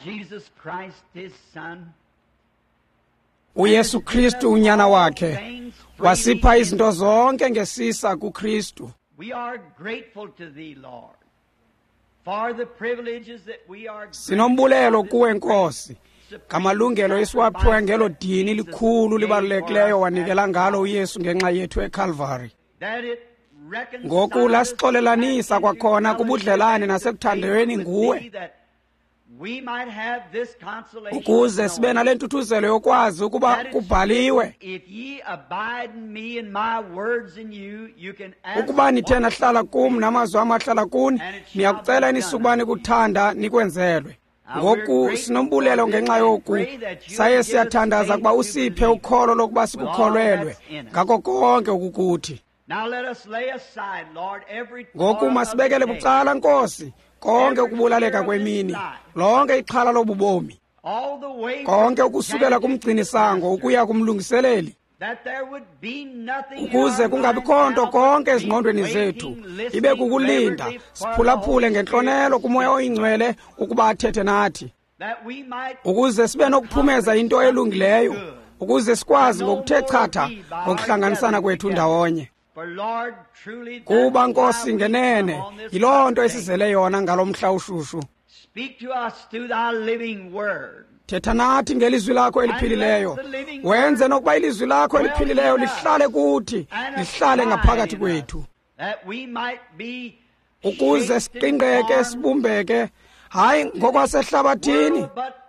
Jesus Christ, his Son, uYesu Kristu unyana wakhe wasipha izinto zonke ngesisa kuKristu. We are grateful to thee, Lord, for the privileges that we are Sinombulelo kuwe Nkosi ngamalungelo esiwaphiwe ngelo dini likhulu libalulekileyo wanikela ngalo uYesu ngenxa yethu eCalvary. that it reconciles Ngoku lasixolelanisa us kwakhona kubudlelane into nasekuthandweni nguwe thee, that we might have this consolation ukuze sibe nale ntuthuzelo yokwazi ukuba that it's kubhaliwe written, If ye abide in me and my words in you, you can ask ukuba nithe what nahlala kum namazwi am ahlala kuni niyakucela enisukuba nikuthanda nikwenzelwe. Ngoku sinombulelo ngenxa yoku saye siyathandaza ukuba usiphe ukholo lokuba sikukholelwe ngako konke okukuthi. Now let us lay aside, Lord, every Ngoku toil of masibekele the day, bucala Nkosi konke ukubulaleka kwemini, lonke ixhala lobubomi, all the way konke from ukusukela janitor to kumgcinisango master, ukuya kumlungiseleli, that there would be nothing in ukuze our kungabikho minds nto now but konke be ezingqondweni waiting, zethu listening ibe kukulinda reverently for the siphulaphule Holy ngentlonelo Spirit kuMoya to speak, oyiNgcwele ukuba athethe nathi, that we might ukuze sibe nokuphumeza into elungileyo, ukuze sikwazi ngokuthe chatha ngokuhlanganisana kwethu ndawonye. For Lord, truly that's Kuba why Nkosi we ngenene come on this yiloo nto day. esizele yona ngalo mhla ushushu. Speak to us through thy living word. Thetha nathi ngelizwi lakho eliphilileyo, wenze nokuba ilizwi lakho eliphilileyo lihlale kuthi, and lihlale abide ngaphakathi in kwethu, us, that we might be ukuze shaped and siqingqeke formed sibumbeke, hayi ngokwasehlabathini, world, but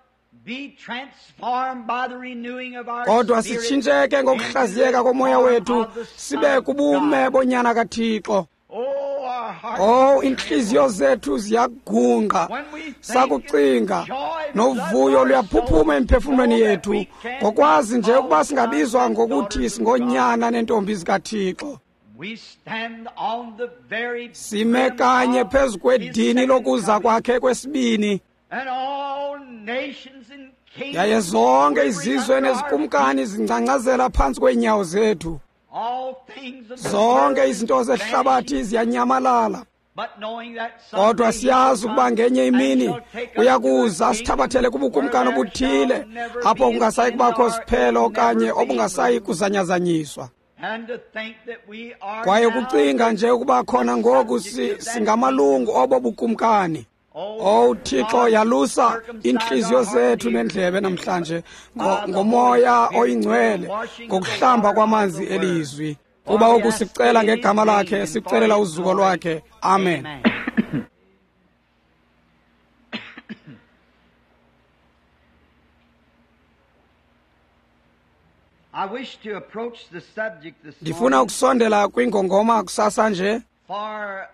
be transformed by the renewing of our kodwa spirit sitshintsheke ngokuhlaziyeka into the komoya form wethu of the Son sibe of kubume God. bonyana kaThixo. Oh, our hearts Oh, inhliziyo zethu ziyagungqa When we think sakucinga, joy novuyo floods our luyaphuphuma soul, emphefumlweni know that yethu we can ngokwazi nje be ukuba called singabizwa sons and ngokuthi daughters of singonyana nentombi zikaThixo. We stand on the very Sime brim kanye of phezu his kwedini second lokuza coming. kwakhe kwesibini, And all nations and kingdoms yaye zonke quivering izizwe under our nezikumkani feet. zingcangcazela phantsi kweenyawo zethu. All things of the Zonke world izinto is zehlabathi vanishing, ziyanyamalala, but knowing that kodwa someday he siyazi shall ukuba come ngenye and imini shall take us uya to a kuza asithabathele kingdom kubukumkani where there shall obuthile never apho be an kungasayi end kubakho or siphelo okanye never be obungasayi moved. kuzanyazanyiswa. And to think that we are Kwaye now ukucinga nje ukuba khona ngoku subject of that singamalungu obo bukumkani. Oh, Owu Thixo, God, yalusa circumcise iintliziyo our heart zethu and ears nendlebe namhlanje by the ngoMoya Holy Spirit, oyiNgcwele, the washing of the ngokuhlamba water of kwamanzi the word. elizwi. For Kuba we oku ask sikucela it in his ngegama name lakhe, and for sikucelela his uzuko glory. lwakhe. Amen. Amen. I wish to approach the subject this Ndifuna morning, ukusondela kwingongoma kusasa nje, for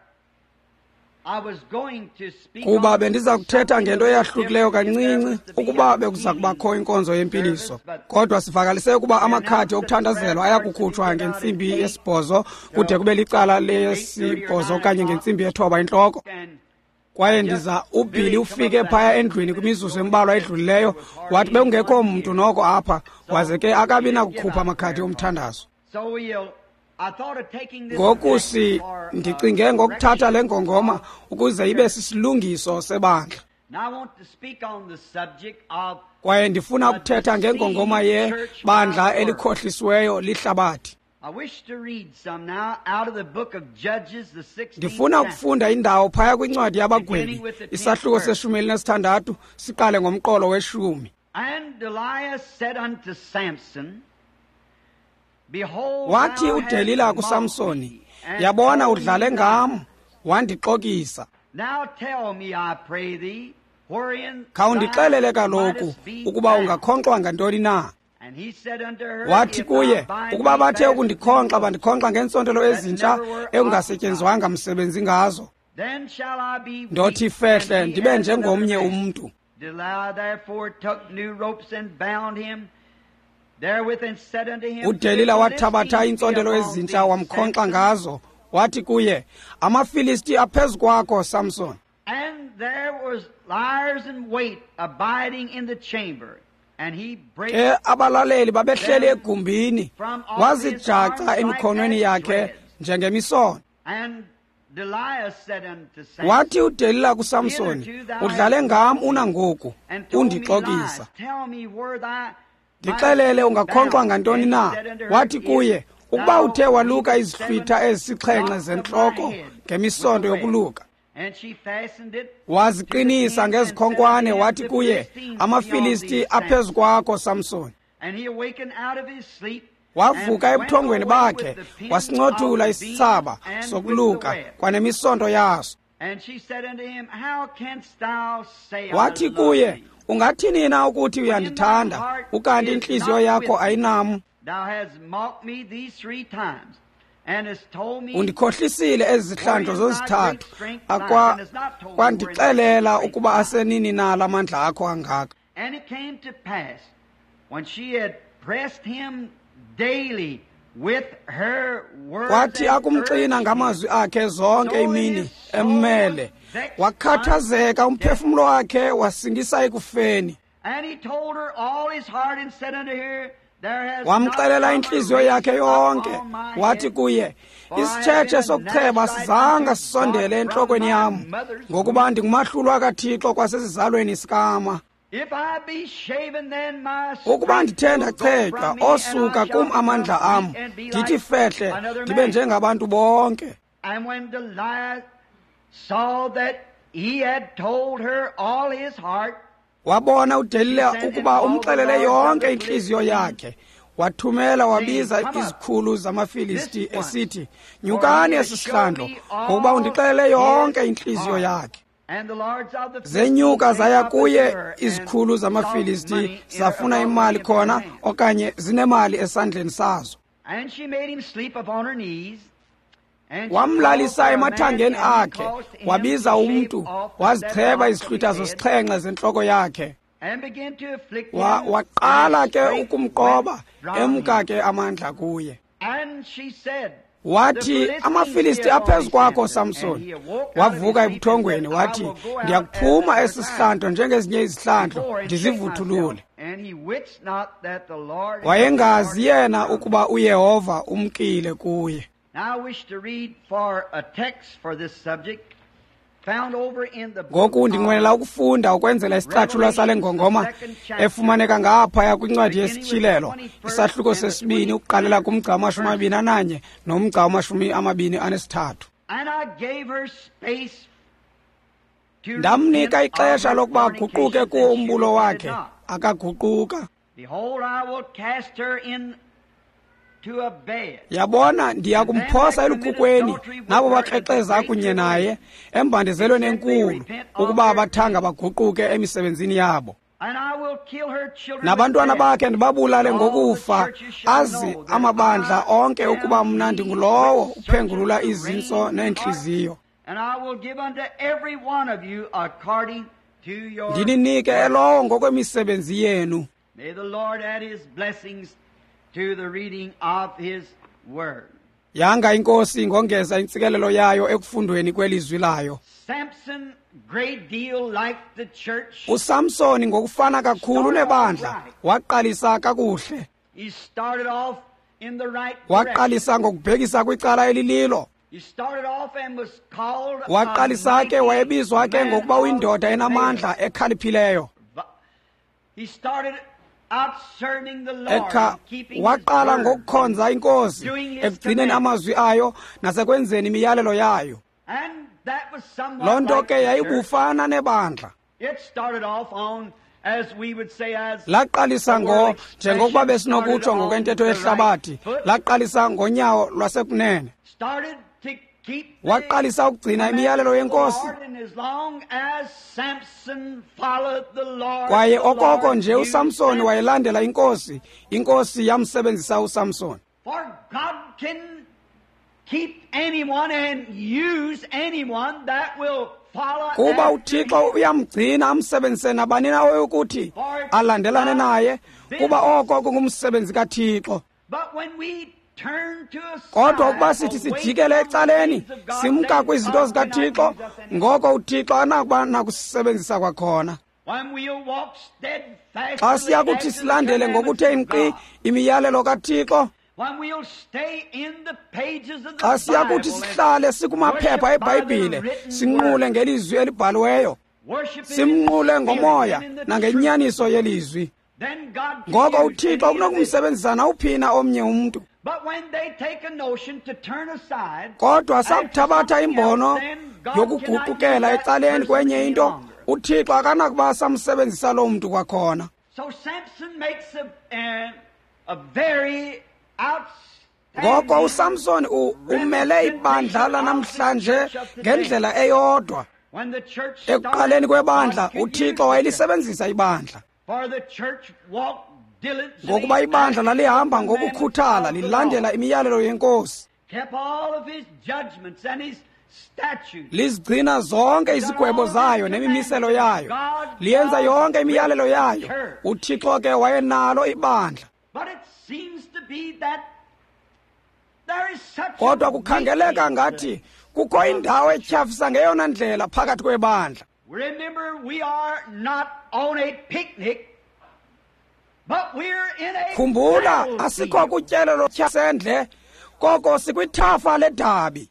I was going to speak kuba on bendiza kuthetha something ngento a little eyahlukileyo different if there kancinci was to be ukuba a bekuza kubakho healing inkonzo yempiliso. service, but Kodwa sivakalise ukuba we amakhadi announced that okuthandazelwa prayer aya cards to be kukhutshwa given out at ngentsimbi 8 yesibhozo kude till kube licala 8:30 or lesibhozo 9 okanye o'clock. ngentsimbi yethoba intloko. And Kwaye just ndiza uBilly Billy come ufike up phaya that endlwini kwimizuzu going embalwa in there edlulileyo, was hardly wathi bekungekho anyone mntu here. noko apha, waze So ke akabi he didn't give nakukhupha out amakhadi prayer cards. omthandazo. So I thought of taking this Ngoku text for a ndicinge ngokuthatha le correction ngongoma of ukuze the ibe church. sisilungiso sebandla. Now I want to speak on the subject of Kwaye ndifuna a ukuthetha ngengongoma deceived church by yebandla the world. elikhohlisiweyo lihlabathi. I wish to read some now out of the book of Judges, the 16th Ndifuna chapter, ukufunda indawo phaya kwincwadi yabagwebi, beginning with the 10th isahluko verse. seshumi elinesithandathu, siqale ngomqolo weshumi. And Delilah said unto Samson, Behold, Wathi thou hast uDelila mocked kuSamsoni, me, and yabona told udlale me ngam, not. wandixokisa. Now tell me, I pray thee, wherein thou Khawundixelele kaloku mightest be ukuba bound. ungakhonkxwa ngantoni na. And he said unto her, Wathi If thou kuye, bind ukuba me bathe fast with new ukundikhonkxa ropes bandikhonkxa ngeentsontelo that ezintsha never were occupied, ekungasetyenzwanga msebenzi ngazo, then shall I be ndothi weak fehle and be ndibe as another njengomnye man. umntu. Delilah therefore took new ropes and bound him therewith, and said unto him, The uDelila wathabatha Philistines be iintsontelo upon ezintsha thee, wamkhonkxa Samson. ngazo, wathi kuye, amaFilisti aphezu kwakho, Samson. And there was liars in wait abiding in the chamber, and he brake Ke abalaleli babehleli them egumbini, from off his arms wazijaca like emikhonweni as yakhe threads. njengemisono. And Wathi uDelila kuSamsoni, udlale ngam unangoku, undixokisa. Ndixelele ungakhonkxwa ngantoni na? Wathi kuye, ukuba uthe waluka izihlwitha ezisixhenxe zentloko ngemisonto yokuluka. Waziqinisa ngezikhonkwane, wathi kuye, amaFilisti aphezu kwakho, Samsoni. Wavuka ebuthongweni bakhe, wasincothula isithsaba sokuluka kwanemisonto yaso. Wathi kuye, ungathini na ukuthi uyandithanda, ukanti intliziyo yakho ayinam? Undikhohlisile ezi zihlandlo zozithathu, kwandixelela ukuba asenini na la mandla akho angaka. Kwathi akumxina ngamazwi akhe zonke imini emmele, wakhathazeka umphefumlo wakhe, wasingisa ekufeni. Wamxelela intliziyo yakhe yonke, wathi kuye, isitshetshe sokucheba sizanga sisondele entlokweni yam, ngokuba ndingumahlulwa kaThixo kwasesizalweni sikama. Ukuba ndithe ndachetywa, osuka kum amandla am, ndithi fehle, ndibe njengabantu bonke. Wabona uDelila ukuba umxelele yonke intliziyo yakhe, wathumela wabiza izikhulu zamaFilisti esithi, nyukani esi sihlandlo, ngokuba undixelele yonke intliziyo yakhe. Zenyuka zaya kuye izikhulu zamaFilisti, zafuna imali khona okanye zinemali esandleni sazo. Wamlalisa emathangeni akhe, wabiza umntu, wazicheba izihlwitha zosixhenxe zentloko yakhe. Waqala ke ukumqoba, emka ke amandla kuye. Wathi, amaFilisti aphezu kwakho, Samsoni. Wavuka ebuthongweni, wathi, ndiyakuphuma esi sihlandlo njengezinye izihlandlo, ndizivuthulule. Wayengazi yena ukuba uYehova umkile kuye. Ngoku ndinqwenela ukufunda ukwenzela isicatshulwa sale ngongoma efumaneka ngaphaya kwincwadi yesiTyhilelo, isahluko sesibini, ukuqalela kumgca wama-21 nomgca wama-23. Ndamnika ixesha lokuba aguquke kuwo umbulo wakhe, akaguquka. Yabona, ndiya kumphosa elukhukweni nabo bakrexeza kunye naye embandezelweni enkulu, ukuba abathanga baguquke emisebenzini yabo. Nabantwana bakhe ndibabulale ngokufa, azi amabandla onke ukuba mna ndingulowo uphengulula izintso neentliziyo. Ndininike elowo ngokwemisebenzi yenu. To the reading of his word. Yanga inkosi ingongeza intsikelelo yayo ekufundweni kwelizwi layo. Samson, great deal like the church. uSamsoni ngokufana kakhulu nebandla waqalisa kakuhle. He started off in the right waqalisa ngokubhekisa kwicala elililo. He started off and was called waqalisa ke wayebizwa ke ngokuba uyindoda enamandla ekhaliphileyo. He started Waqala ngokukhonza inkosi, ekugcineni amazwi ayo nasekwenzeni imiyalelo yayo. Loo nto ke yayibufana nebandla. Laqalisa njengokuba besinokutsho ngokwentetho yehlabathi, laqalisa ngonyawo lwasekunene. Waqalisa ukugcina imiyalelo yenkosi. Kwaye okoko nje uSamsoni wayelandela inkosi, inkosi yamsebenzisa uSamsoni. Kuba uThixo uyamgcina amsebenzise nabani na oyokuthi alandelane naye, kuba oko kungumsebenzi kaThixo. Kodwa ukuba sithi sijikele ecaleni, simka kwizinto zikaThixo, ngoko uThixo anakuba nakusisebenzisa kwakhona. Xa siya kuthi silandele ngokuthe nkqi imiyalelo kaThixo, Xa siya kuthi sihlale sikumaphepha eBhayibhile, sinqule ngelizwi elibhaliweyo, simnqule ngomoya nangenyaniso yelizwi, ngoko uThixo unokumsebenzisa nawuphina omnye umntu. Kodwa sakuthabatha imbono yokuguqukela ecaleni kwenye into, uThixo akanakuba samsebenzisa loo mntu kwakhona. Ngoko uSamson umele ibandla lanamhlanje ngendlela eyodwa. Ekuqaleni kwebandla, uThixo wayelisebenzisa ibandla, ngokuba ibandla lalihamba ngokukhuthala lilandela imiyalelo yeNkosi, lizigcina zonke izigwebo zayo nemimiselo yayo, liyenza yonke imiyalelo yayo. UThixo ke wayenalo ibandla. Kodwa kukhangeleka ngathi kukho indawo etyhafisa ngeyona ndlela phakathi kwebandla. Khumbula, asikho kutyelelo sendle, koko sikwithafa ledabi.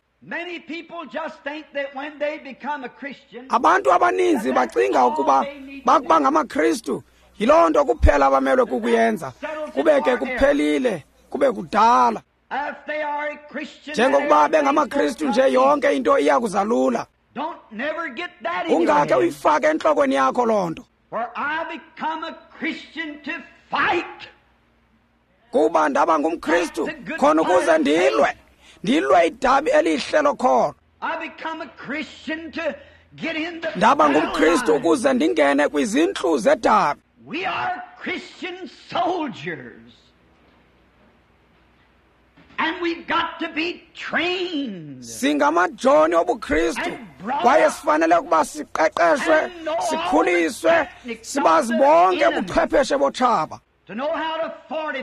Abantu abaninzi bacinga ukuba bakuba ngamaKristu yiloo nto kuphela abamelwe kukuyenza, kube ke kuphelile, kube kudala. Njengokuba bengamaKristu nje, yonke into iya kuzalula. Ungake uyifake entlokweni yakho loo nto. Kuba ndaba ngumKristu khona ukuze ndilwe, ndilwe idabi elihle lokholo. Ndaba ngumKristu ukuze ndingene kwizintlu zedabi. Singamajoni obuKristu, kwaye sifanele ukuba siqeqeshwe, sikhuliswe, sibazi bonke ubuchwepheshe botshaba,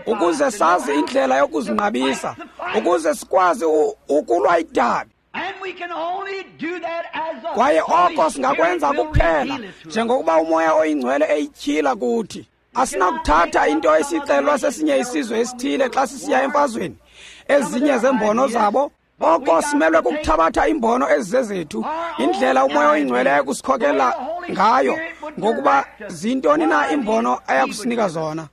ukuze sazi indlela yokuzinqabisa, ukuze sikwazi ukulwa idabi. Kwaye oko singakwenza kuphela njengokuba uMoya oyiNgcwele eyityhila kuthi. Asinakuthatha into esixelwa sesinye isizwe esithile xa sisiya emfazweni, ezinye zembono zabo. Oko simelwe kukuthabatha imbono ezizezethu, indlela uMoya oyiNgcwele ayekusikhokela ngayo, ngokuba zintoni na imbono ayakusinika zona.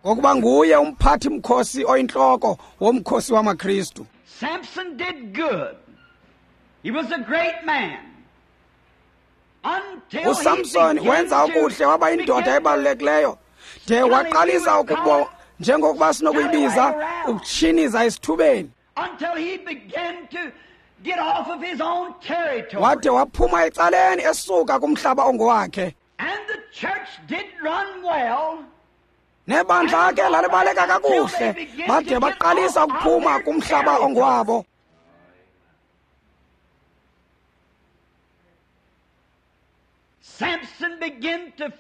Ngokuba nguye umphathi mkhosi oyintloko womkhosi wamaKristu. Samson did good. He was a great man. uSamson wenza okuhle, waba yindoda ebalulekileyo, de waqalisa ukubo, njengokuba sinokuyibiza, ukutshiniza esithubeni. Wade waphuma ecaleni esuka kumhlaba ongowakhe. Nebandla ke lalibaleka kakuhle, bade baqalisa ukuphuma kumhlaba ongowabo.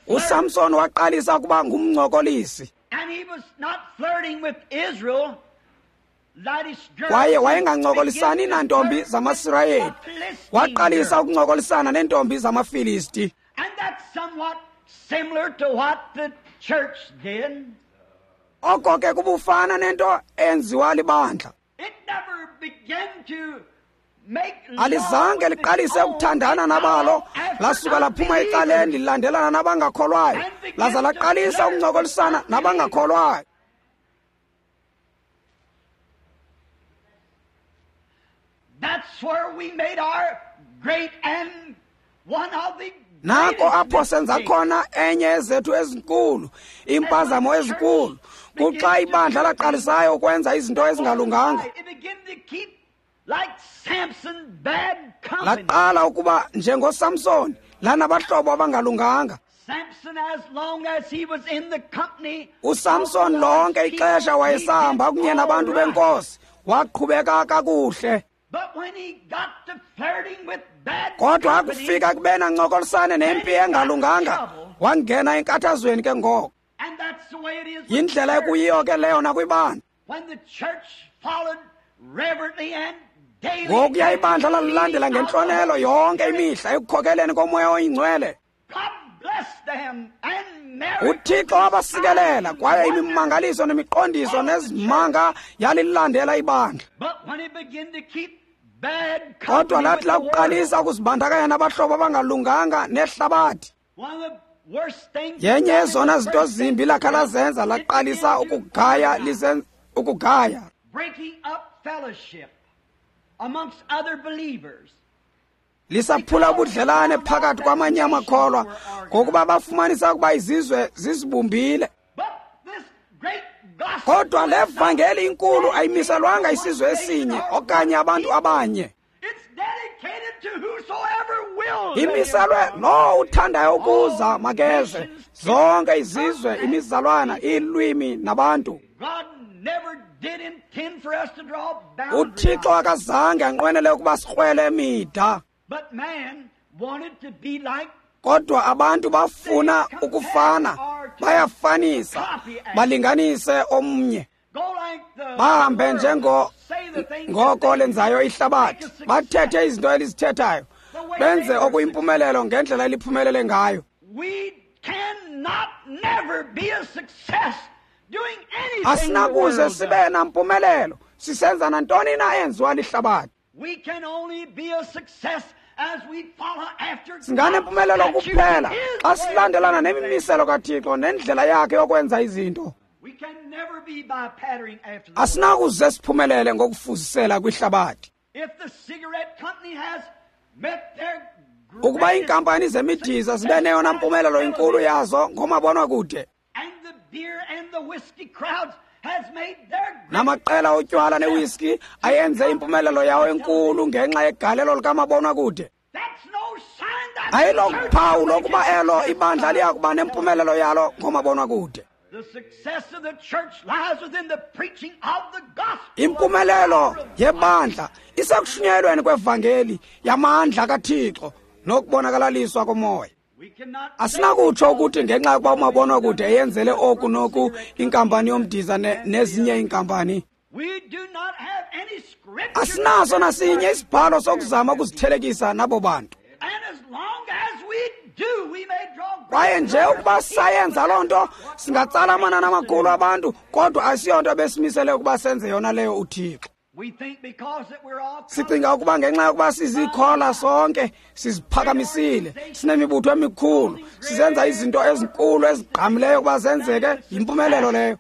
uSamson waqalisa ukuba ngumncokolisi. Kwaye wayengancokolisani nantombi zamaSirayeli, waqalisa ukuncokolisana neentombi zamaFilisti. Oko ke kubufana nento enziwa libandla. Alizange liqalise ukuthandana nabalo, lasuka laphuma ecaleni lilandelana nabangakholwayo, laza laqalisa ukuncokolisana nabangakholwayo. Nako apho senza khona enye ezethu ezinkulu, iimpazamo ezinkulu, kuxa ibandla laqalisayo ukwenza izinto ezingalunganga. Laqala ukuba njengoSamson, lanabahlobo abangalunganga. uSamson lonke ixesha wayesahamba kunye nabantu benkosi, waqhubeka kakuhle. Kodwa akufika kubeni ancokolisane nempi engalunganga, wangena enkathazweni ke ngoko. Yindlela ekuyiyo ke leyo nakwibandla. Ngokuya ibandla lalilandela ngentlonelo yonke imihla ekukhokeleni koMoya oyiNgcwele. UThixo wabasikelela kwaye imimangaliso nemiqondiso nezimanga yalilandela ibandla. Kodwa lathi lakuqalisa ukuzibandakanya nabahlobo abangalunganga nehlabathi, yenye yezona zinto zimbi lakha lazenza, laqalisa ukugaya ukugaya. Lisaphula ubudlelane phakathi kwamanye amakholwa ngokuba bafumanisa ukuba izizwe zizibumbile. Kodwa le vangeli inkulu ayimiselwanga isizwe esinye okanye abantu abanye. Imiselwe lowo uthandayo ukuza makeze, zonke izizwe, imizalwana, iilwimi nabantu. UThixo akazange anqwenele ukuba sikrwele mida. Kodwa abantu bafuna ukufana, bayafanisa, balinganise omnye. Bahambe njengo ngoko lenzayo ihlabathi, bathethe izinto elizithethayo, benze okuyimpumelelo ngendlela eliphumelele ngayo. Asinakuze sibe nampumelelo sisenza nantoni na enziwa lihlabathi. Singanempumelelo kuphela xa silandelana nemimiselo kaThixo nendlela yakhe yokwenza izinto. Asinakuze siphumelele ngokufuzisela kwihlabathi. Ukuba iinkampani zemidiza zibe neyona mpumelelo inkulu yazo ngomabonwakude, namaqela otywala newiski ayenze impumelelo yawo enkulu ngenxa yegalelo likamabonwakude, ayilophawu lokuba elo ibandla liya kuba nempumelelo yalo ngomabonwakude. Impumelelo yebandla isekushunyayelweni kwevangeli yamandla kaThixo nokubonakalaliswa komoya. Asinakutsho ukuthi ngenxa yokuba umabonwakude eyenzele oku noku inkampani yomdiza nezinye iinkampani. Asinaso nasinye isibhalo sokuzama ukuzithelekisa nabo bantu. Kwaye nje ukuba sayenza loo nto, singatsala amanani amakhulu abantu, kodwa asiyonto besimisele ukuba senze yona leyo uThixo. Sicinga ukuba ngenxa yokuba sizikhola sonke, siziphakamisile, sinemibutho emikhulu, sizenza izinto ezinkulu ezigqamileyo ukuba zenzeke, yimpumelelo leyo.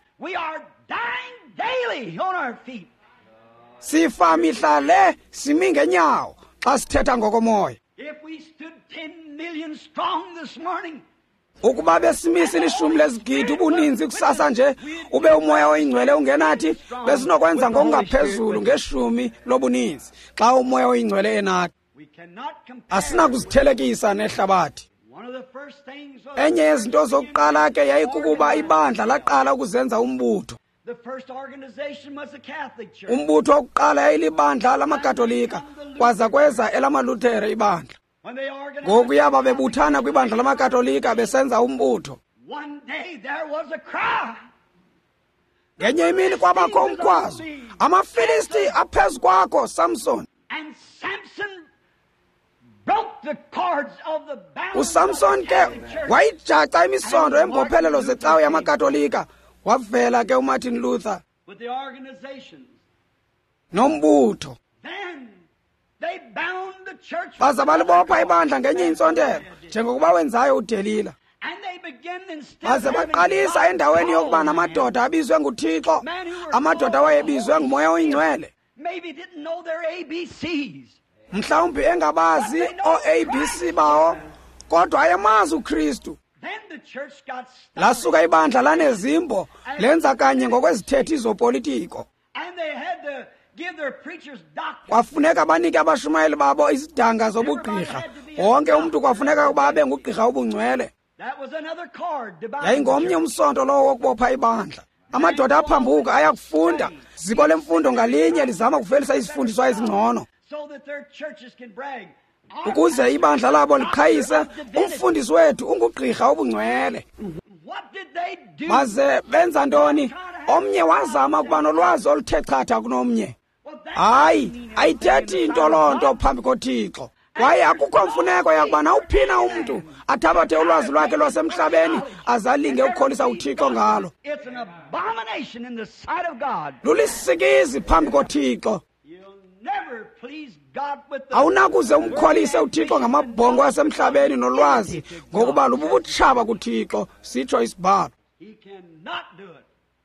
Sifa mihla le simi ngenyawo xa sithetha ngokomoya. Ukuba besimisa ilishumi lezigidi ubuninzi kusasa nje, ube umoya oyingcwele ungenathi, besinokwenza ngokungaphezulu ngeshumi lobuninzi xa umoya oyingcwele enathi. Asinakuzithelekisa nehlabathi. Enye yezinto zokuqala ke yayikukuba ibandla laqala ukuzenza umbutho. Umbutho wokuqala yayilibandla lamaKatolika, kwaza kweza elamaLuthere ibandla. Ngokuya babebuthana kwibandla lamaKatolika besenza umbutho. Ngenye imini kwabakho umkhwazo, amaFilisti aphezu kwakho, Samson. USamson ke wayijaca imisondo embophelelo zecawe yamaKatolika, wavela ke uMartin Luther nombutho. Baza balibopha ibandla ngenye intsontelo njengokuba wenzayo uDelila. Baze baqalisa endaweni yokuba namadoda abizwe nguThixo, amadoda awayebizwe nguMoya oyiNgcwele, mhlawumbi engabazi oo-ABC bawo, kodwa ayemazi uKristu. Lasuka ibandla lanezimbo, lenza kanye ngokwezithethi zopolitiko. Kwafuneka banike abashumayeli babo izidanga zobugqirha. Wonke umntu kwafuneka ukuba abe ngugqirha obungcwele. Yayingomnye umsonto lowo wokubopha ibandla. Amadoda aphambuka ayakufunda. Ziko lemfundo ngalinye lizama ukuvelisa izifundiswa ezingcono ukuze ibandla labo liqhayise, umfundisi wethu ungugqirha obungcwele. Baze benza ntoni? Omnye wazama ukuba nolwazi oluthe chatha kunomnye. Hayi, ayithethi into loo nto phambi koThixo. Kwaye akukho mfuneko yakuba nawuphina umntu athabathe ulwazi lwakhe lwasemhlabeni azalinge ukukholisa uThixo ngalo. Lulisikizi phambi koThixo. Awunakuze umkholise uThixo ngamabhongo asemhlabeni nolwazi, ngokuba lububutshaba kuThixo, sitsho isibhalo.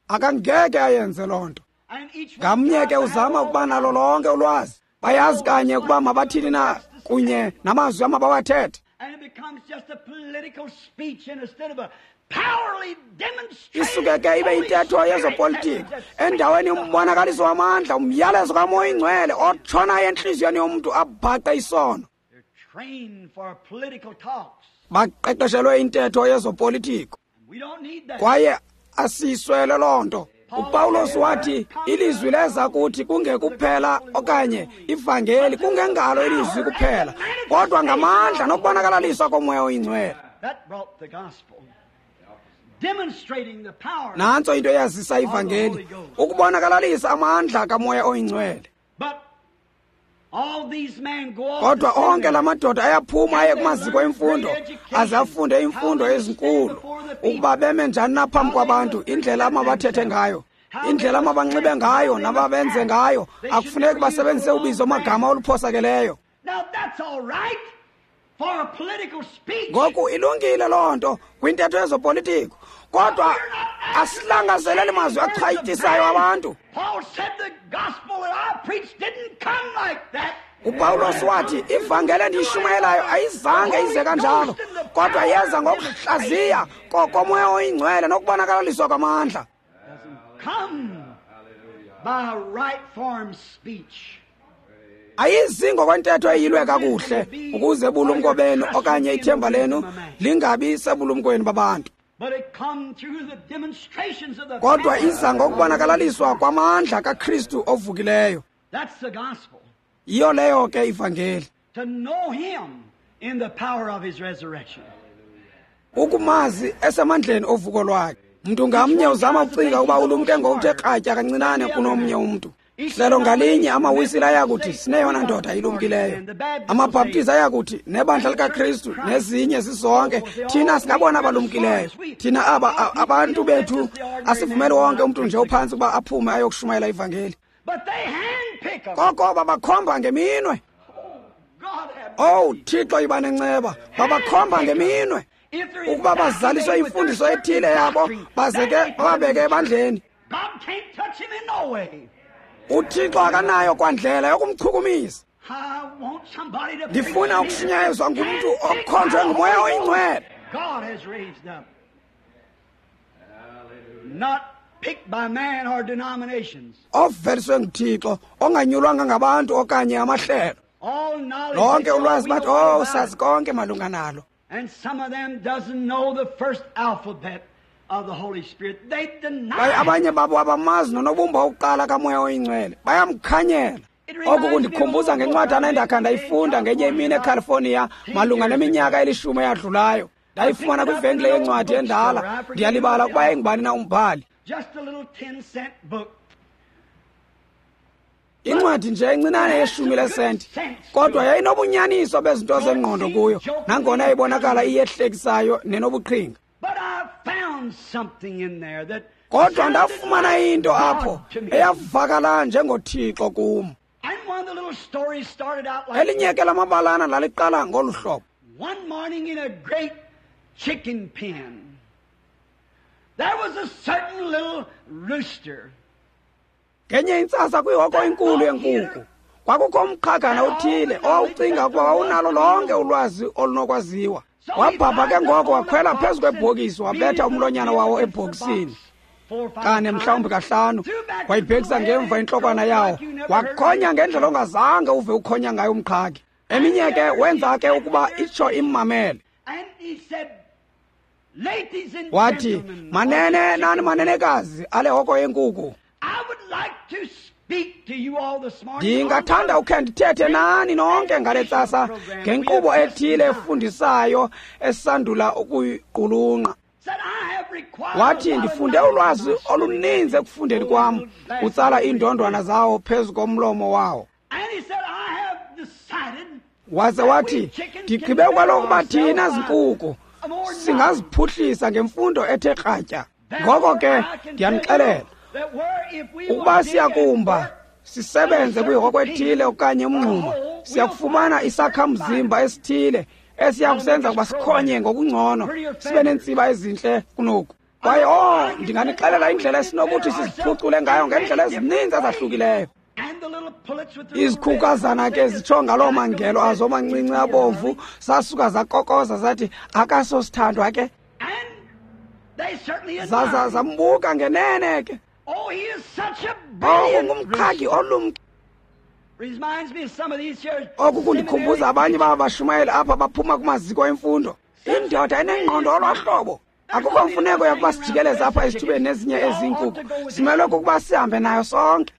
Akangeke ayenze loo nto. Ngamnye ke uzama ukuba nalo lonke ulwazi. Bayazi kanye ukuba mabathini na kunye namazwi amabawathethe. Isuke ke ibe intetho yezopolitiko endaweni umbonakaliso wamandla, umyalezo kaMoya Ingcwele otshonayo entliziyweni yomntu abhaqe isono. Baqeqeshelwe intetho yezopolitiko kwaye asiyiswele loo nto. uPawulos wathi ilizwi leza kuthi kungekuphela okanye ivangeli kungengalo ilizwi kuphela, kodwa ngamandla nokubonakalaliswa koMoya Oyingcwele. Nantso into eyazisa ivangeli, ukubonakalalisa amandla kaMoya Oyingcwele. Kodwa onke la madoda ayaphuma aye kumaziko emfundo aze afunde imfundo ezinkulu, ukuba beme njani na phambi kwabantu, indlela amabathethe ngayo, indlela amabanxibe ngayo nababenze ngayo. Akufuneki basebenzise ubizo magama oluphosakeleyo. Ngoku ilungile loo nto kwintetho yezopolitiko, kodwa asilangazeleli mazwi achwayitisayo abantu. uPawulos wathi ivangeli endiyishumayelayo ayizange ize kanjalo, kodwa yeza ngokuhlaziya koMoya Oyingcwele nokubonakalaliswa kwamandla. Ayizi ngokwentetho eyilwe kakuhle ukuze bulumko benu okanye ithemba lenu lingabi sebulumkweni babantu, kodwa iza ngokubonakalaliswa kwamandla kaKristu ovukileyo. Yiyo leyo ke ivangeli, ukumazi esemandleni ovuko lwakhe. Mntu ngamnye uzama ukucinga ukuba ulumke ngokuthe kratya kancinane kunomnye umntu. Hlelo ngalinye amawisile ayakuthi sineyona ndoda ilumkileyo, amabhaptizi ayakuthi nebandla likaKristu nezinye zizonke, thina singabona abalumkileyo. Thina aba abantu bethu asivumeli wonke umntu nje ophantsi ukuba aphume ayokushumayela ivangeli. Koko babakhomba ngeminwe. Owu Thixo, yiba nenceba. Babakhomba ngeminwe ukuba bazaliswe imfundiso ethile yabo, baze ke bababeke ebandleni. uThixo akanayo kwandlela yokumchukumisa. Ndifuna ukushunyayezwa ngumntu okhonjwe nguMoya Oyingcwele, oveliswe nguThixo, onganyulwanga ngabantu okanye amahlelo. Lonke ulwazi bathi, oh, sazi konke malunga nalo. Kwaye abanye babo abamazi nonobumba wokuqala kaMoya Oyingcwele, bayamkhanyela. Oku kundikhumbuza ngencwadana endakha ndayifunda ngenye imini eCalifornia malunga neminyaka 10 eyadlulayo. Ndayifumana kwivenkile yencwadi endala, ndiyalibala ukuba yayingubani na umbhali. Incwadi nje encinane yeshumi lesenti, kodwa yayinobunyaniso bezinto zengqondo kuyo, nangona yayibonakala iyehlekisayo nenobuqhinga. Kodwa ndafumana into apho eyavakala njengoThixo kum. Elinye ke lamabalana laliqala ngolu hlobo. Ngenye intsasa kwihoko enkulu yenkukhu kwakukho umqhagana othile owawucinga ukuba wawunalo lonke ulwazi olunokwaziwa. Wabhabha ke ngoko wakhwela phezu kwebhokisi, wabetha umlonyana wawo ebhokisini kane mhlawumbi 5, wayibhekisa ngemva intlokwana yawo, wakhonya ngendlela ongazange uve ukhonya ngayo umqhagi. Eminye ke wenza ke ukuba itsho immamele. Wathi, manene nani manenekazi ale hoko yenkukhu, ndingathanda ukhe ndithethe nani nonke ngale ntsasa ngenkqubo ethile efundisayo esandula ukuyiqulunqa. Wathi, ndifunde ulwazi oluninzi ekufundeni kwam, utsala iindondwana zawo phezu komlomo wawo. Waze wathi, ndigqibe kwalokuba thina zinkukhu singaziphuhlisa ngemfundo ethe kratya. Ngoko ke ndiyanixelela, ukuba siyakumba sisebenze kwihoko ethile okanye umngxuma, siyakufumana isakhamzimba esithile esiyakusenza ukuba sikhonye ngokungcono, sibe neentsiba ezintle kunoku. Kwaye ndinganixelela indlela esinokuthi siziphucule ngayo ngeendlela ezininzi ezahlukileyo. Izikhukazana ke zitsho ngaloo mangelo azo mancinci abomvu, sasuka zakokoza zathi akasosithandwa ke. Zaza zambuka ngenene ke. Ungumqhagi olumke. Oku kundikhumbuza abanye babashumayeli apha baphuma kumaziko emfundo. Indoda enengqondo olwahlobo. Akukho mfuneko yokuba sijikeleze apha esithubeni nezinye ezinkukhu. Simelwe kukuba sihambe nayo sonke.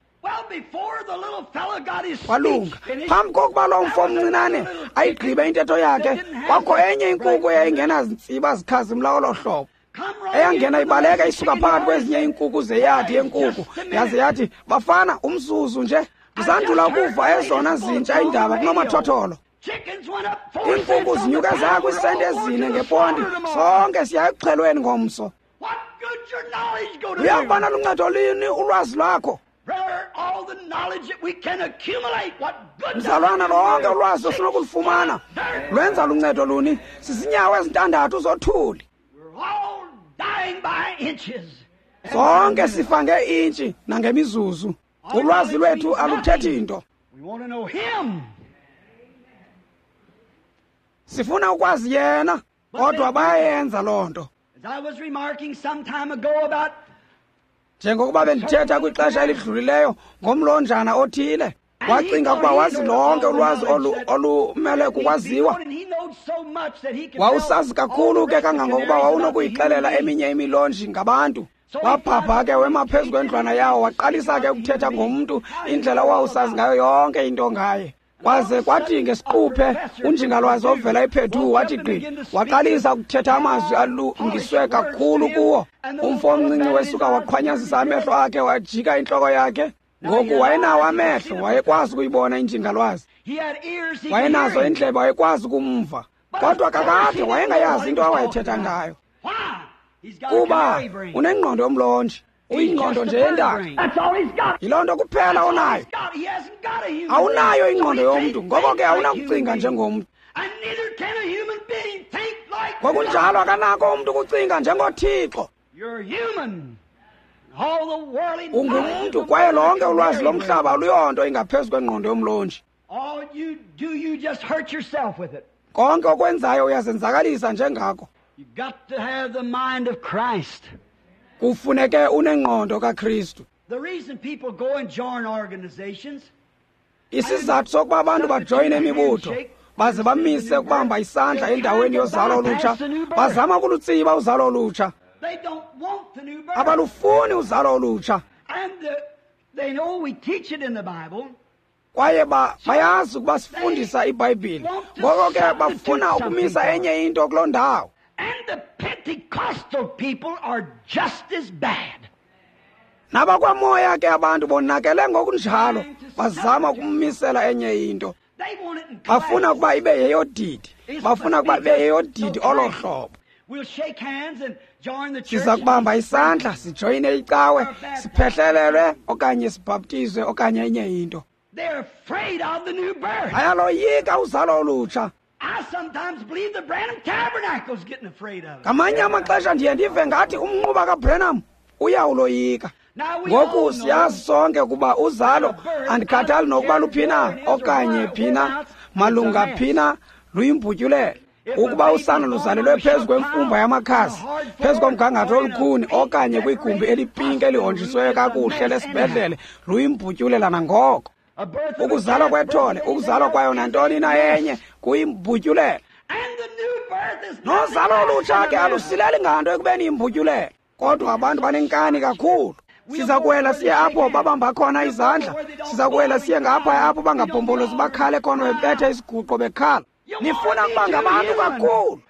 Walunga. Phambi kokuba lo mfo omncinane ayigqibe intetho yakhe, kwakho enye inkukhu eyayingenazintsiba zikhazimla olo hlobo, eyangena ibaleka isuka phakathi kwezinye iinkukhu zeyadi yenkukhu, yaze yathi, bafana, umzuzu nje, ndisandula ukuva ezona zintsha iindaba kunomathotholo. Iinkukhu zinyuke zaya kwiisenti 4 ngeponti, sonke siya ekuxhelweni ngomso. Luya kuba naluncedo lini ulwazi lwakho? Mzalwana, lonke ulwazi osinokulufumana lwenza luncedo luni? Sizinyawo ezintandathu zothuli. Sonke sifa ngeintshi nangemizuzu. Ulwazi lwethu aluthethi nto. Sifuna ukwazi yena, kodwa bayayenza loo nto. Njengokuba bendithetha kwixesha elidlulileyo ngomlonjana othile, wacinga ukuba wazi lonke ulwazi olumele kukwaziwa. Wawusazi kakhulu ke kangangokuba wawunokuyixelela eminye imilonji ngabantu. Wabhabha ke wema phezu kwendlwana yawo, waqalisa ke ukuthetha ngomntu indlela owawusazi ngayo yonke into ngaye. Kwaze kwathi ngesiquphe unjingalwazi ovela ePhedu wathi gqi, waqalisa ukuthetha amazwi alungiswe kakhulu kuwo. Umfo omncinci wesuka waqhwanyazisa amehlo akhe, wajika intloko yakhe. Ngoku wayenawo amehlo, wayekwazi ukuyibona injingalwazi. Wayenazo iindlebe, wayekwazi ukumva. Kodwa kakade wayengayazi into awayethetha ngayo. Kuba unengqondo yomlonji, uyingqondo nje yentaka. Yiloo nto kuphela onayo. Awunayo ingqondo yomntu, ngoko ke awunakucinga njengomntu. Ngokunjalo akanako umntu ukucinga njengoThixo. Ungumntu kwaye lonke ulwazi lomhlaba aluyonto ingaphezu kwengqondo yomlonji. Konke okwenzayo uyazenzakalisa njengako. Kufuneke unengqondo kaKristu. Isizathu sokuba abantu bajoyine imibutho baze bamise ukubamba isandla endaweni yozalo olutsha, bazama ukulutsiba uzalo olutsha. Abalufuni uzalo olutsha. Kwaye bayazi ukuba sifundisa iBhayibhile, ngoko ke bafuna ukumisa enye into kuloo ndawo. Nabakwamoya ke abantu bonakele ngokunjalo, bazama ukumisela enye into. Bafuna ukuba ibe yeyodidi, bafuna ukuba ibe yeyodidi olo hlobo. Siza kubamba isandla, sijoyine icawe, siphehlelelwe okanye sibhaptizwe okanye enye into. Bayaloyika uzalo olutsha. Ngamanye amaxesha ndiye ndive ngathi umnquba kaBranham uyawuloyika. Ngoku siyazi sonke ukuba uzalo andikhathali nokuba luphina okanye phina malunga phina luyimbutyulelo. Ukuba usana luzalelwe phezu kwemfumba yamakhasi, phezu komgangatho olukhuni okanye kwigumbi elipinki elihonjisweyo kakuhle lesibhedlele, luyimbutyulela nangoko. Ukuzalwa kwethole, ukuzalwa kwayo nantoni na enye kuyimbutyulela. Nozalo olutsha ke alusileli nganto ekubeni yimbutyulela. Kodwa abantu banenkani kakhulu. Siza kuwela siye apho babamba khona izandla, siza kuwela siye ngapha apho bangabhombolozi bakhale khona bebetha isiguqo bekhala. Nifuna ukuba ngabantu kakhulu.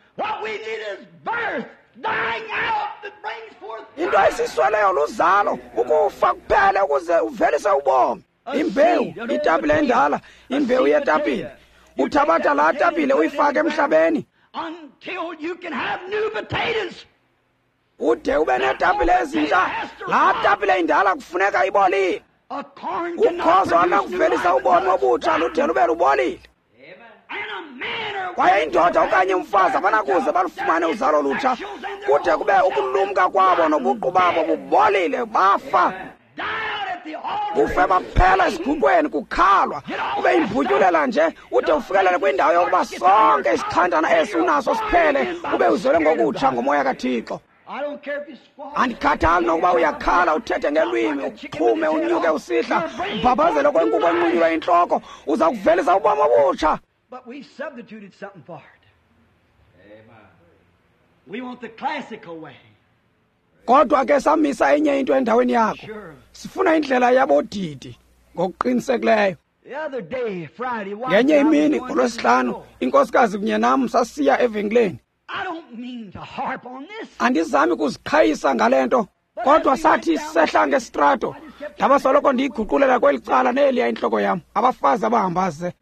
Into esisweleyo luzalo, ukufa kuphele ukuze uvelise ubomi. Imbewu, itapile endala, imbewu yetapile. Uthabatha laa tapile uyifake emhlabeni ude ube neetapile ezintsha. Laa tapile indala kufuneka ibolile. Ukhozo anakuvelisa ubomi obutsha lude lube lubolile. Kwaye indoda okanye umfazi abanakuze balufumane uzalo lutsha kude kube ukulumka kwabo nobuqu babo bubolile, bafa. Kufe baphela esiguqweni kukhalwa, ube imbutyulela nje ude ufikelele kwindawo yokuba sonke isixhantana esi unaso siphele, ube uzelwe ngokutsha ngomoya kaThixo. Andikhathali nokuba uyakhala, uthethe ngelwimi, uxhume, unyuke usihla, ubhabhazele kwenkukhu enqunyulwa intloko, uza kuvelisa ubomi obutsha. But we've substituted something for it. Amen. We want the classical way. Kodwa ke samisa enye into endaweni yakho. Sifuna indlela yabodidi ngokuqinisekileyo. Ngenye imini ngolwesihlanu, inkosikazi kunye nam sasiya evenkileni. Andizami kuziqhayisa ngale nto, kodwa sathi sehla ngesitrato, ndaba soloko ndiyiguqulela kweli cala neliya intloko yam, abafazi abahamba ze.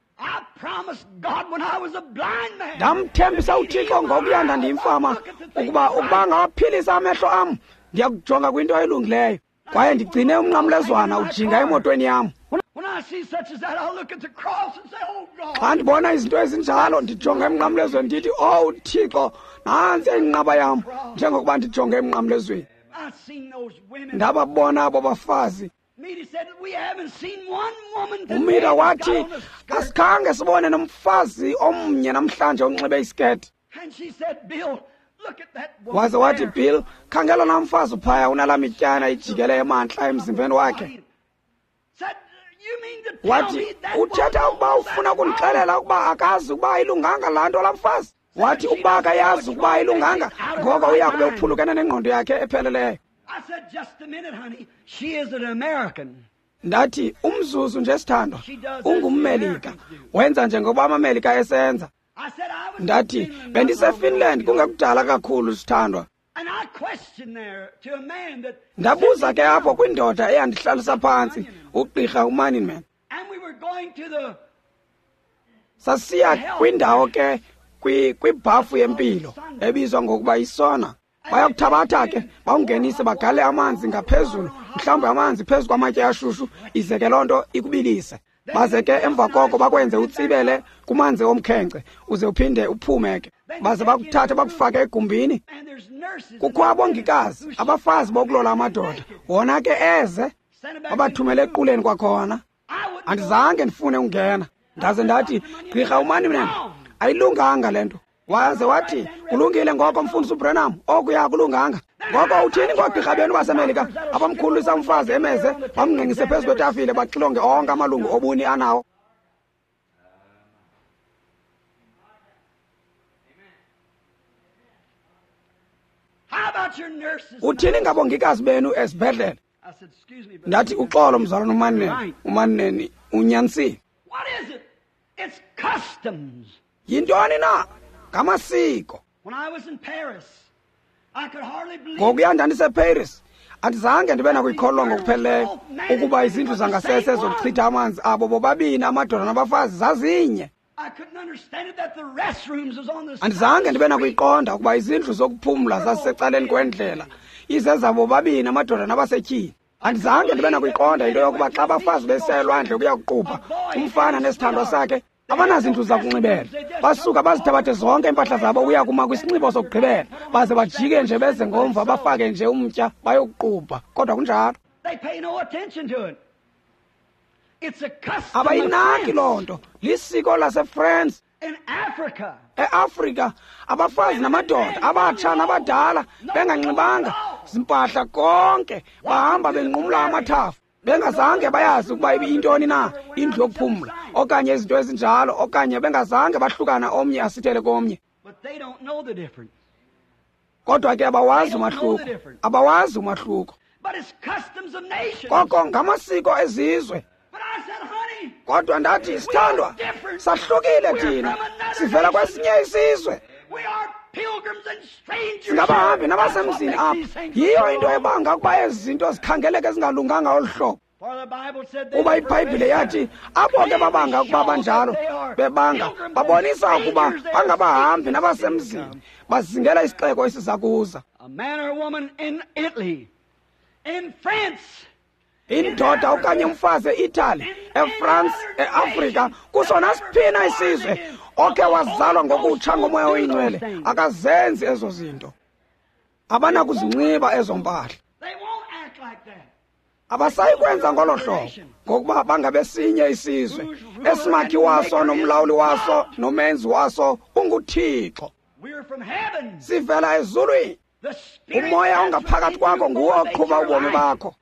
Ndamthembisa uThixo ngokuya ndandiyimfama ukuba ngawaphilisa amehlo am, ndiyakujonga kwinto elungileyo. Kwaye ndigcine umnqamlezwana ujinga emotweni yam. Xa ndibona izinto ezinjalo, ndijonga emnqamlezweni ndithi, "Owu Thixo, nantsi inqaba yam," njengokuba ndijonge emnqamlezweni. Ndababona abo bafazi. UMida wathi, asikhange sibone nomfazi omnye namhlanje onxibe isiketi. Waze wathi, Bill, khangela laa mfazi uphaya unalaa mityana ijikele emantla emzimbeni wakhe. Wathi, uthetha ukuba ufuna ukundixelela ukuba akazi ukuba ayilunganga laa nto laa mfazi? Wathi, ukuba akayazi ukuba ayilunganga, ngoko uya kube uphulukene nengqondo yakhe epheleleyo. Ndathi, umzuzu nje sithandwa, ungummelika, wenza njengoba amamelika esenza. Ndathi, bendiseFinland kungekudala kakhulu sithandwa. Ndabuza ke apho kwindoda eyandihlalisa phantsi, ugqirha uManninman. Sasiya kwindawo ke kwibhafu yempilo ebizwa ngokuba isona. Bayakuthabatha ke bawungenise bagale amanzi ngaphezulu, mhlawumbi amanzi phezu kwamatye ashushu, ize ke loo nto ikubilise. Baze ke emva koko bakwenze utsibele kumanzi omkhenkce uze uphinde uphume ke. Baze bakuthathe bakufake egumbini. Kukho abongikazi, abafazi bokulola amadoda, wona ke eze babathumele equleni kwakhona. Andizange ndifune ungena. Ndaze ndathi, gqirha uManninman, ayilunganga le nto. Waze wathi, kulungile ngoko mfundisi uBrenham, okuya kulunganga. Ngoko uthini ngoogqirha benu baseMelika abamkhululisa umfazi emeze, bamngqengqise phezu kwetafile, baxilonge onke amalungu obuni anawo? Uthini ngabongikazi benu esibhedlele? Ndathi, uxolo mzalwana uManninman, uManninman unyanisile. Yintoni na? Ngamasiko. Ngokuya ndandiseParis, andizange ndibe nakuyikholwa ngokupheleleyo ukuba izindlu zangasese zokuchitha amanzi abo bobabini amadoda nabafazi zazinye. Andizange ndibe nakuyiqonda ukuba izindlu zokuphumla zazisecaleni kwendlela, izezabo bobabini amadoda nabasetyhini. Andizange ndibe nakuyiqonda into yokuba xa abafazi besiya elwandle ukuya kuqubha, umfana nesithandwa sakhe abanazindlu zakunxibela, basuka bazithabathe zonke iimpahla zabo ukuya kuma kwisinxibo sokugqibela, baze bajike nje beze ngomva bafake nje umtya bayokuqubha. Kodwa kunjalo, abayinaki loo nto. Lisiko laseFrance. EAfrika abafazi namadoda, abatsha nabadala, benganxibanga zimpahla konke, bahamba benqumla amathafa, bengazange bayazi ukuba ibiyintoni na indlu yokuphumla okanye izinto ezinjalo, okanye bengazange bahlukana omnye asithele komnye. Kodwa ke abawazi umahluko, abawazi umahluko. Koko ngamasiko ezizwe. Kodwa ndathi, sithandwa, sahlukile thina, sivela kwesinye isizwe. Singabahambi nabasemzini apha. Yiyo into ebanga ukuba ezi zinto zikhangeleke ezingalunganga olu hlobo. Kuba iBhayibhile yathi abo ke babanga ukuba banjalo, bebanga babonisa ukuba bangabahambi nabasemzini, bazingela isixeko esiza kuza. Indoda okanye umfazi eItaly, eFrance, eAfrika, kuso nasiphina isizwe okhe wazalwa ngokutsha ngomoya oyingcwele akazenzi ezo zinto. Abanakuzinxiba ezo mpahla. Abasayi kwenza ngolo hlobo, ngokuba bangabesinye isizwe esimakhi waso nomlawuli waso nomenzi waso unguThixo. Sivela ezulwini. Umoya ongaphakathi kwakho nguwo oqhuba ubomi bakho.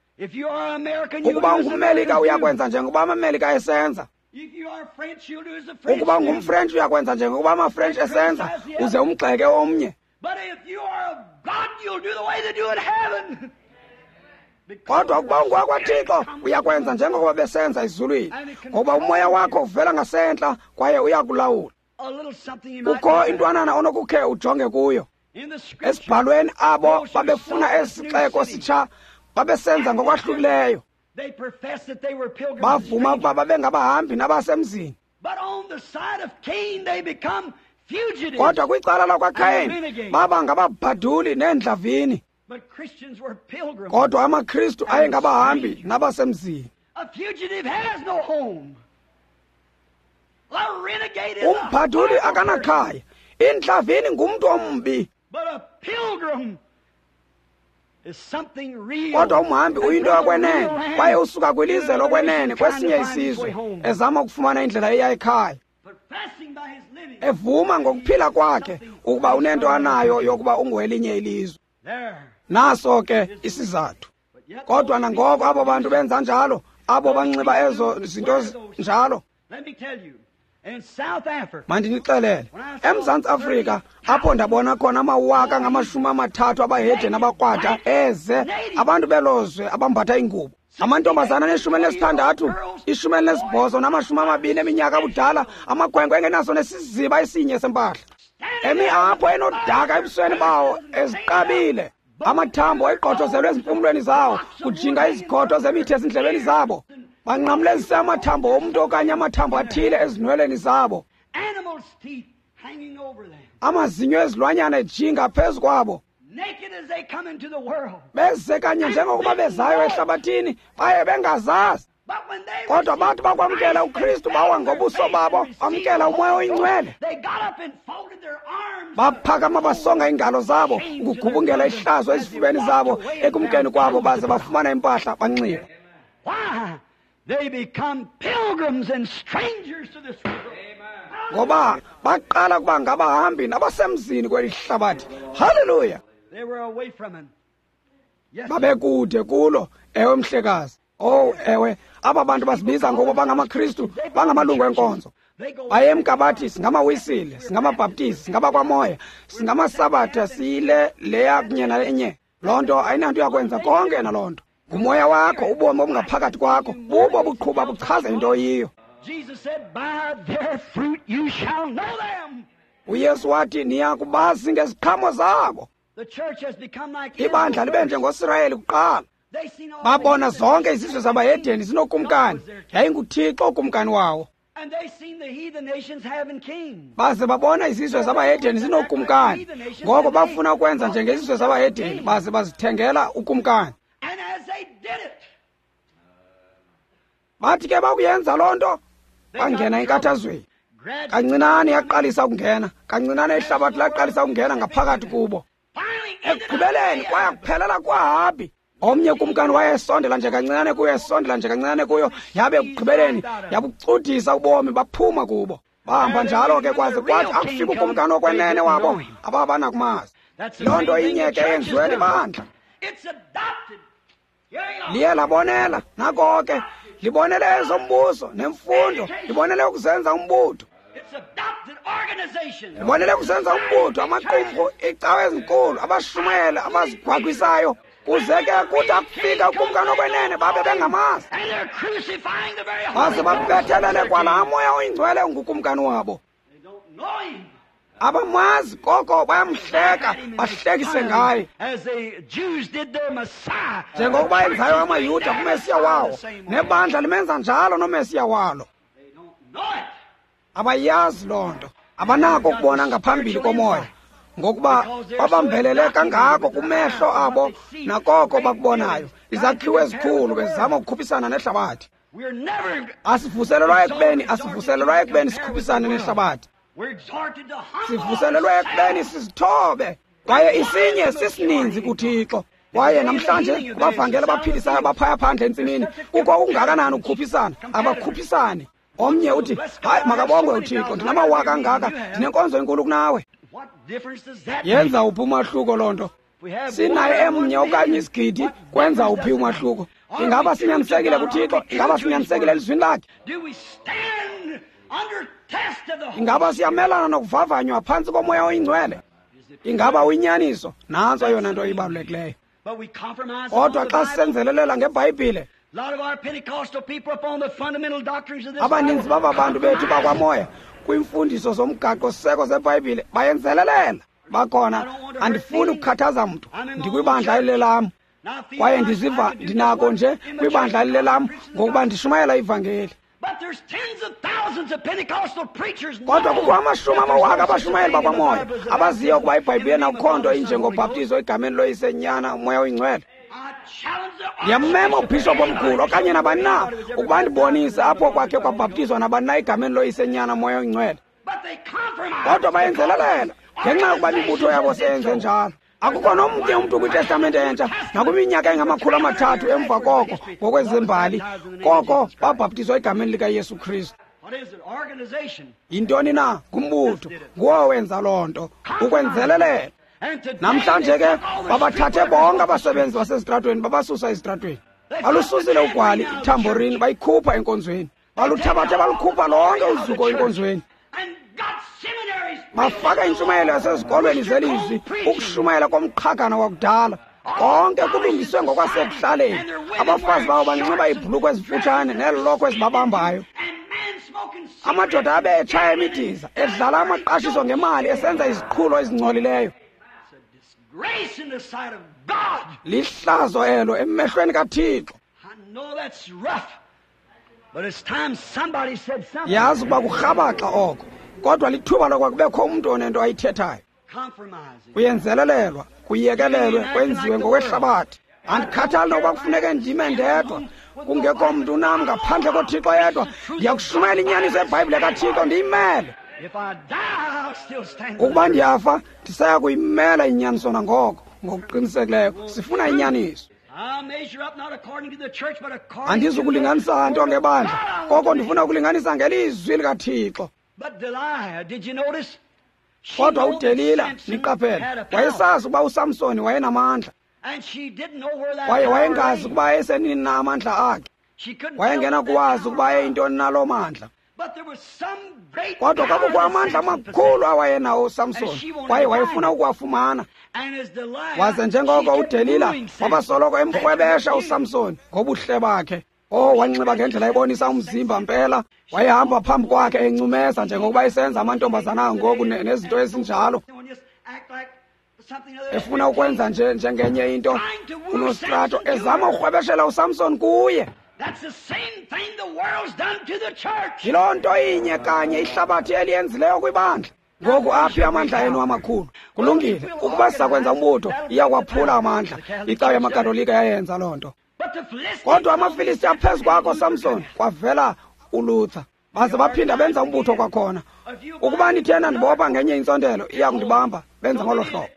Ukuba ungummelika uyakwenza njengokuba amamelika esenza. Ukuba ungumfrentshi uyakwenza njengokuba amafrentshi esenza, uze umgxeke omnye. Kodwa ukuba ungowakwaThixo uyakwenza njengokuba besenza ezulwini, ngoba umoya wakho uvela ngasentla kwaye uyakulawula. Kukho intwanana onokukhe ujonge kuyo. Esibhalweni abo babefuna esixeko sitsha babesenza ngokwahlukileyo. Bavuma ukuba babengabahambi nabasemzini. Kodwa kwicala lakwaKayin baba ngababhaduli neendlavini. Kodwa amaKristu ayengabahambi nabasemzini. Umbhaduli akanakhaya. Indlavini ngumntu ombi. Kodwa umhambi uyinto yokwenene kwaye usuka kwilizwe lokwenene kwesinye isizwe ezama ukufumana indlela eya ekhaya, evuma ngokuphila kwakhe ukuba unento anayo yokuba ungowelinye ilizwe. Naso ke isizathu. Kodwa nangoko abo bantu benza njalo, abo banxiba ezo zinto njalo. Mandinixelele, eMzantsi Afrika apho ndabona khona amawaka ngama-30 abahedeni abakrwada eze, abantu belozwe abambatha ingubo, amantombazana ane-16, 18 nama-20 eminyaka abudala, amakhwenkwe engenaso nesiziba esinye sempahla, emi apho enodaka ebusweni bawo eziqabile, amathambo eqothozelwe ezimpumlweni zawo, kujinga izikhotho zemithi ezindlebeni zabo, banqamlezise amathambo omntu okanye amathambo athile ezinweleni zabo, amazinyo ezilwanyana ejinga phezu kwabo, beze kanye njengokuba bezayo ehlabathini, baye bengazazi. Kodwa bathi bakwamkela uKristu, bawa ngobuso babo, bamkela umoya oyingcwele, baphakama basonga iingalo zabo ukugubungela ihlazo ezifubeni zabo ekumkeni kwabo, baze bafumana impahla banxiba. Ngoba baqala kuba ngabahambi nabasemzini kweli hlabathi. Haleluya! Babekude kulo. Ewe mhlekazi. Oh ewe, aba bantu basibiza ngokuba bangamaKristu, bangamalungu enkonzo. Bayemka bathi singamaWisile, singamabhaptizi, singabakwamoya, singamasabatha, siyile leya kunye nalenye. Loo nto ayinanto yakwenza konke naloo nto. Ngumoya wakho, ubomi obungaphakathi kwakho, bubo buqhuba buchaza into oyiyo. UYesu wathi niya kubazi ngeziqhamo zabo. Ibandla libe njengoSirayeli kuqala. Babona zonke izizwe zabahedeni zinokumkani, yayinguThixo ukumkani wawo. Baze babona izizwe zabahedeni zinokumkani, ngoko bafuna ukwenza njengezizwe zabahedeni, baze bazithengela ukumkani. Bathi ke bakuyenza loo nto, bangena enkathazweni. Kancinane yaqalisa ukungena, kancinane ihlabathi laqalisa ukungena ngaphakathi kubo. Ekugqibeleni kwaya kuphelela kwaHabi. Omnye kumkani wayesondela nje kancinane kuyo, esondela nje kancinane kuyo, yabe ekugqibeleni yabucudisa ubomi, baphuma kubo. Bahamba njalo ke kwaze kwathi akufika ukumkani okwenene wabo, ababanakumazi. Loo nto inye ke yenziwe libandla. Liye labonela, nako ke, libonele ezombuso nemfundo, libonele ukuzenza umbutho. Libonele ukuzenza umbutho, amaqumrhu, iicawa ezinkulu, abashumayeli abazigwagwisayo. Kuze ke kuthi akufika ukumkani okwenene babe bengamazi, baze babethelele kwalaa moya oyingcwele ungukumkani wabo. Abamazi koko bayamhleka, bahlekise ngaye. Njengokuba enzayo amaYuda kuMesiya wawo, nebandla limenza njalo noMesiya walo. Abayazi loo nto. Abanako ukubona ngaphambili komoya, ngokuba babambelele kangako kumehlo abo nakoko bakubonayo. Izakhiwo ezikhulu bezama ukukhuphisana nehlabathi. Asivuselelwa ekubeni sikhuphisane nehlabathi. Sivuselelwe ekubeni sizithobe, kwaye isinye sisininzi kuThixo. Kwaye namhlanje abavangeli abaphilisayo abaphaya phandle entsimini, kukho okungakanani ukukhuphisana? Abakhuphisani. Omnye uthi, hayi, makabongwe uThixo, ndinamawaka angaka, ndinenkonzo enkulu kunawe. Yenza uphi umahluko loo nto? Sinaye emnye okanye isigidi, kwenza uphi umahluko? Ingaba sinyanisekile kuThixo? Ingaba sinyanisekile elizwini lakhe? Ingaba siyamelana nokuvavanywa phantsi komoya oyingcwele? Ingaba uyinyaniso? Nantso eyona nto ibalulekileyo. Kodwa xa sisenzelelela ngeBhayibhile, abaninzi baba bantu bethu bakwamoya kwiimfundiso zomgaqo-siseko zeBhayibhile bayenzelelela. Bakhona, andifuni ukukhathaza mntu, ndikwibandla elilelam, kwaye ndiziva ndinako nje kwibandla elilelam ngokuba ndishumayela ivangeli. Kodwa kukho amashumi amawaka abashumayeli bakwamoya abaziyo ukuba iBhayibhile nakukho nto injengobhaptizo egameni loYise, Nyana, uMoya oyiNgcwele. Ndiyammema ubhishophu omkhulu okanye nabani na ukuba ndibonise apho kwakhe kwabhaptizwa nabani na egameni loYise, Nyana, uMoya oyiNgcwele. Kodwa bayenzelelela ngenxa yokuba imibutho yabo seyenze njalo. Akukho nomnye umntu kwiTestamente entsha nakwiminyaka engama-300 emva koko ngokwezembali koko babhaptizwa egameni likaYesu Kristu. Yintoni na? Ngumbutho. Nguwo wenza loo nto, ukwenzelelela. Namhlanje ke babathathe bonke abasebenzi basezitratweni, babasusa ezitratweni. Balususile ugwali, ithamborini, bayikhupha enkonzweni. Baluthabathe balukhupha lonke uzuko enkonzweni. Bafaka intshumayelo yasezikolweni zelizwi, ukushumayela komqhagana wakudala. Konke kulungiswe ngokwasekuhlaleni. Abafazi babo banxiba iibhulukhwe ezifutshane neelokhwe ezibabambayo. Amadoda abe etshaya imidiza, edlala amaqashiso ngemali, esenza iziqhulo ezingcolileyo. Lihlazo elo emehlweni kaThixo. Yazi ukuba kurhabaxa oko, kodwa lithuba lokuba kubekho umntu onento ayithethayo. Kuyenzelelelwa, kuyekelelwe, kwenziwe ngokwehlabathi. Andikhathali nokuba kufuneke ndime ndedwa, kungekho mntu nam ngaphandle koThixo yedwa. Ndiyakushumayela inyaniso yeBhayibhile kaThixo, ndiyimele. Ukuba ndiyafa, ndisaya kuyimela inyaniso nangoko. Ngokuqinisekileyo sifuna inyaniso. Andizukulinganisa nto ngebandla, koko ndifuna ukulinganisa ngelizwi likaThixo. Kodwa uDelila, niqaphele, wayesazi ukuba uSamsoni wayenamandla, kwaye wayengazi ukuba ayesenini na amandla akhe. Wayengenakuwazi ukuba ayeyintoni na loo mandla. Kodwa kwakukho amandla amakhulu awayenawo uSamsoni, kwaye wayefuna ukuwafumana. Waze njengoko uDelila wabasoloko emrhwebesha uSamsoni ngobuhle bakhe. Wanxiba ngendlela ebonisa umzimba mpela. Wayehamba phambi kwakhe encumeza njengokuba esenza amantombazana ngoku nezinto ezinjalo, efuna ukwenza nje njengenye into unostrato, ezama ukurhwebeshela uSamson kuye. Yiloo nto inye kanye ihlabathi eliyenzileyo kwibandla. Ngoku aphi amandla enu amakhulu? Kulungile, ukuba sizakwenza umbutho, iyakwaphula amandla. Icawa yamaKatolika yayenza loo nto. Kodwa amaFilisti aphezu kwakho, Samson, kwavela uLuther. Baze baphinda benza umbutho kwakhona. Ukuba ndithena ndibopha ngenye intsontelo, iya kundibamba. Benza ngolo hlobo.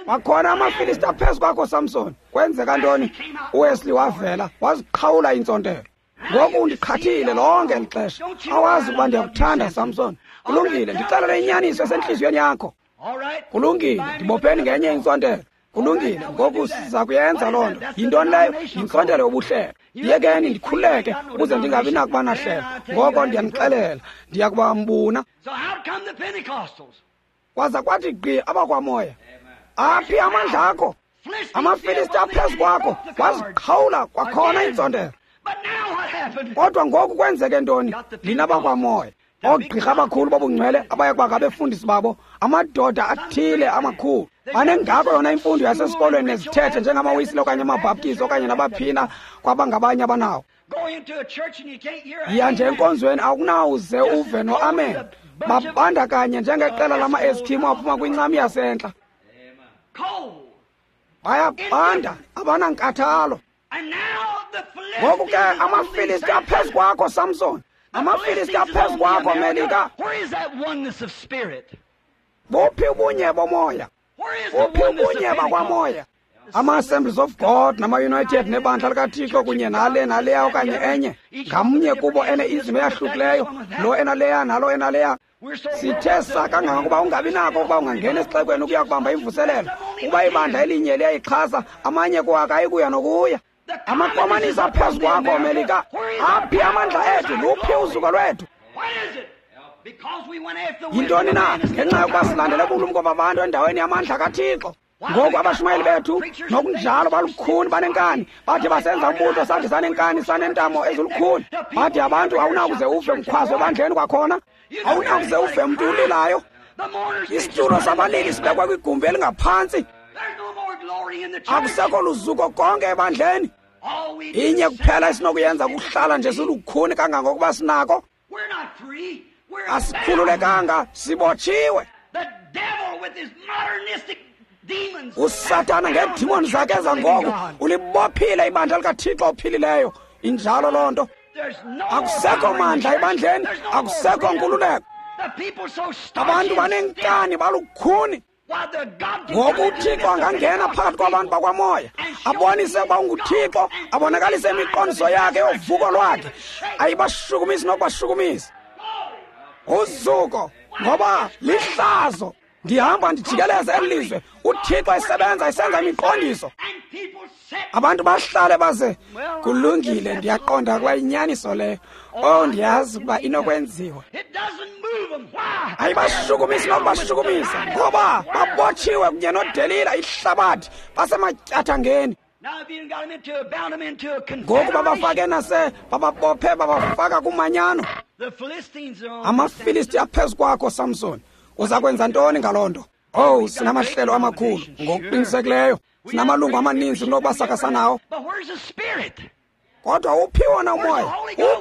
Kwakhona amaFilisti aphezu kwakho, Samson. Kwenzeka ntoni? uWesley wavela, waziqhawula intsontelo. Ngoku undiqhathile lonke eli xesha. Awazi ukuba ndiyakuthanda, Samson. Kulungile, ndixelele inyaniso esentliziyweni yakho. Kulungile, ndibopheni ngenye intsontelo. Kulungile, ngoku siza kuyenza loo nto. Yintoni leyo? Yintsontelo yobuhlelo. Yekeni ndikhululeke ukuze ndingabi nakuba nahlelo. Ngoko ndiyanixelela, ndiya kuba mbuna. Kwaza kwathi gqi abakwamoya. Aphi amandla akho? AmaFilisti aphezu kwakho, waziqhawula kwakhona intsontelo. Kodwa ngoku kwenzeke ntoni? Lina bakwamoya. Oogqirha abakhulu bobungcwele abaya kuba ngabefundisi babo, amadoda athile amakhulu. Banengako yona imfundo yasesikolweni nezithethe njengamaWisile okanye amaBhaptizi okanye nabaphina kwabangabanye abanawo. Yiya nje enkonzweni awukunawuze uve no-amen. Babandakanye njengeqela lama-Eskimo aphuma kwincam yasentla. Bayabanda, abanankathalo. Ngoku ke amaFilisti aphezu kwakho, Samson. AmaFilisti aphezu kwakho, Melika. Buphi ubunye bomoya? Buphi ubunye bakwamoya? Ama-Assemblies of God nama-United nebandla likaThixo kunye nale naleya okanye enye, ngamnye kubo ene-izim eyahlukileyo, lo enaleya nalo enaleya. Sithe sa kangangokuba ungabi nako ukuba ungangena esixekweni ukuya kubamba imvuselelo. Ukuba ibandla elinye liyayixhasa, amanye kuwo akayikuya nokuya. Amakomanisi aphezu kwakho, Melika. Aphi amandla ethu? Luphi uzuko lwethu? Yintoni na? Ngenxa yokuba silandele ubulumko babantu endaweni yamandla kaThixo. Ngoku abashumayeli bethu nokunjalo balukhuni, banenkani. Bathi basenza umbutho sathi sanenkani, sanentamo ezilukhuni. Bathi abantu awunakuze uve mkhwazo ebandleni kwakhona, awunakuze uve mntu ulilayo. Isitulo sabalili sibekwe kwigumbi elingaphantsi. Akusekho luzuko konke ebandleni. Inye kuphela esinokuyenza kuhlala nje silukhuni kangangokuba sinako. Asikhululekanga, sibotshiwe. USathana ngeedimoni zakhe ezangoku ulibophile ibandla likaThixo ophilileyo. Injalo loo nto. Akusekho mandla ebandleni, akusekho nkululeko. Abantu banenkani, balukhuni. Ngoku uThixo angangena phakathi kwabantu bakwamoya, abonise ukuba unguThixo, abonakalise imiqondiso yakhe yovuko lwakhe. Ayibashukumisi nokubashukumisa. Uzuko, ngoba lihlazo. Ndihamba ndijikeleze eli lizwe, uThixo esebenza esenza imiqondiso. Abantu bahlale baze, kulungile, ndiyaqonda ukuba inyaniso leyo. Oh, ndiyazi ukuba inokwenziwa. Ayibashukumisi nokubashukumisa, ngoba babotshiwe kunye noDelila, ihlabathi, basematyathangeni. Ngoku babafake nase, bababophe, babafaka kumanyano. AmaFilisti aphezu kwakho, Samson. Uza kwenza ntoni ngaloo nto? Oh, sinamahlelo amakhulu ngokuqinisekileyo. Sinamalungu amaninzi kunokuba sakasanawo. Kodwa uphi wona umoya?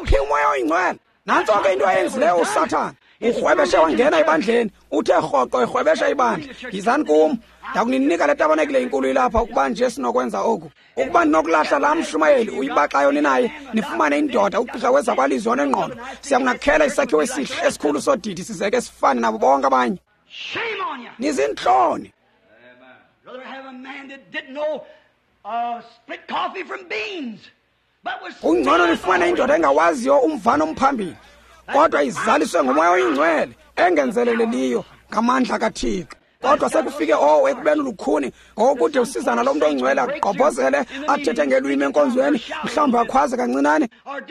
Uphi umoya oyingcwele? Nantso ke into ayenzileyo uSathana. Urhwebeshe wangena ebandleni, uthe rhoqo erhwebesha ibandla. Yizani kum, ndakuninika le tabanekile inkulu ilapha ukuba nje sinokwenza oku. Ukuba ndinokulahla laa mshumayeli uyibaxayo ninaye, nifumane indoda ugqirha wezakwalizwi onengqondo, siyakunakhela isakhiwo esihle esikhulu sodidi sizeke sifane nabo bonke abanye. Nizintloni. Kungcono nifumane indoda engawaziyo umvano omphambili, kodwa izaliswe ngomoya oyingcwele engenzeleleliyo ngamandla kaThixo. Kodwa sekufike owo ekubeni lukhuni ngokude usizana lo mntu ongcwele agqobhozele athethe ngelwimi enkonzweni, mhlawumbi akhwaze kancinane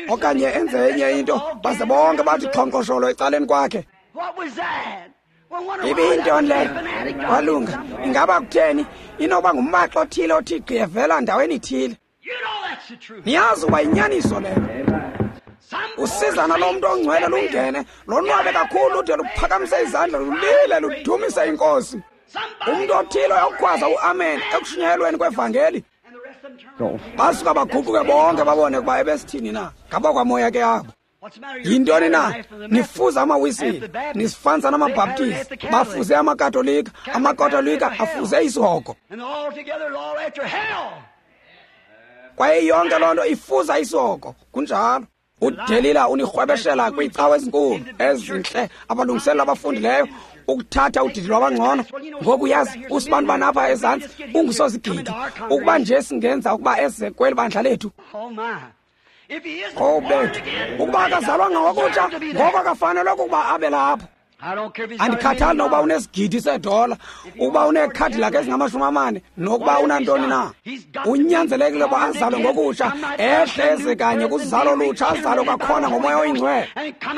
okanye enze enye into, baze bonke bathi xhonkxosholo ecaleni kwakhe. Ibiyintoni leyo? Walunga. Ingaba kutheni? Inoba ngumbaxo othile othi gqi evela ndaweni ithile. Niyazi uba yinyaniso leyo. Usizana lo mntu ongcwele lungene, lonwabe kakhulu ude luphakamise izandla, lulile, ludumise inkosi. Umntu othile uyakukhwaza uamen ekushunyayelweni kwevangeli. Basuka baguquke bonke babone ukuba ebesithini na. Ngabakwamoya ke abo. Yintoni na? Nifuza amaWisile, nisifanisa namaBhaptizi, bafuze amaKatolika, amaKatolika afuze isihogo. Kwaye yonke loo nto ifuza isihogo. Kunjalo. UDelila unirhwebeshela kwiicawa ezinkulu ezintle, abalungiselela abafundileyo ukuthatha udidi lwabangcono. Ngoku yazi usibantu banapha ezantsi ungusozigidi. Ukuba nje singenza ukuba eze kweli bandla lethu. Oh bethu, ukuba akazalwanga ngokutsha, ngoko akafanelwe ukuba abe lapho. Andikhathali nokuba unesigidi sedola, ukuba uneekhadi lakhe ezingama-40, nokuba unantoni na. Unyanzelekile ukuba azalwe ngokutsha, ehle eze kanye kuzalo lutsha, azalwe kwakhona ngomoya oyingcwele.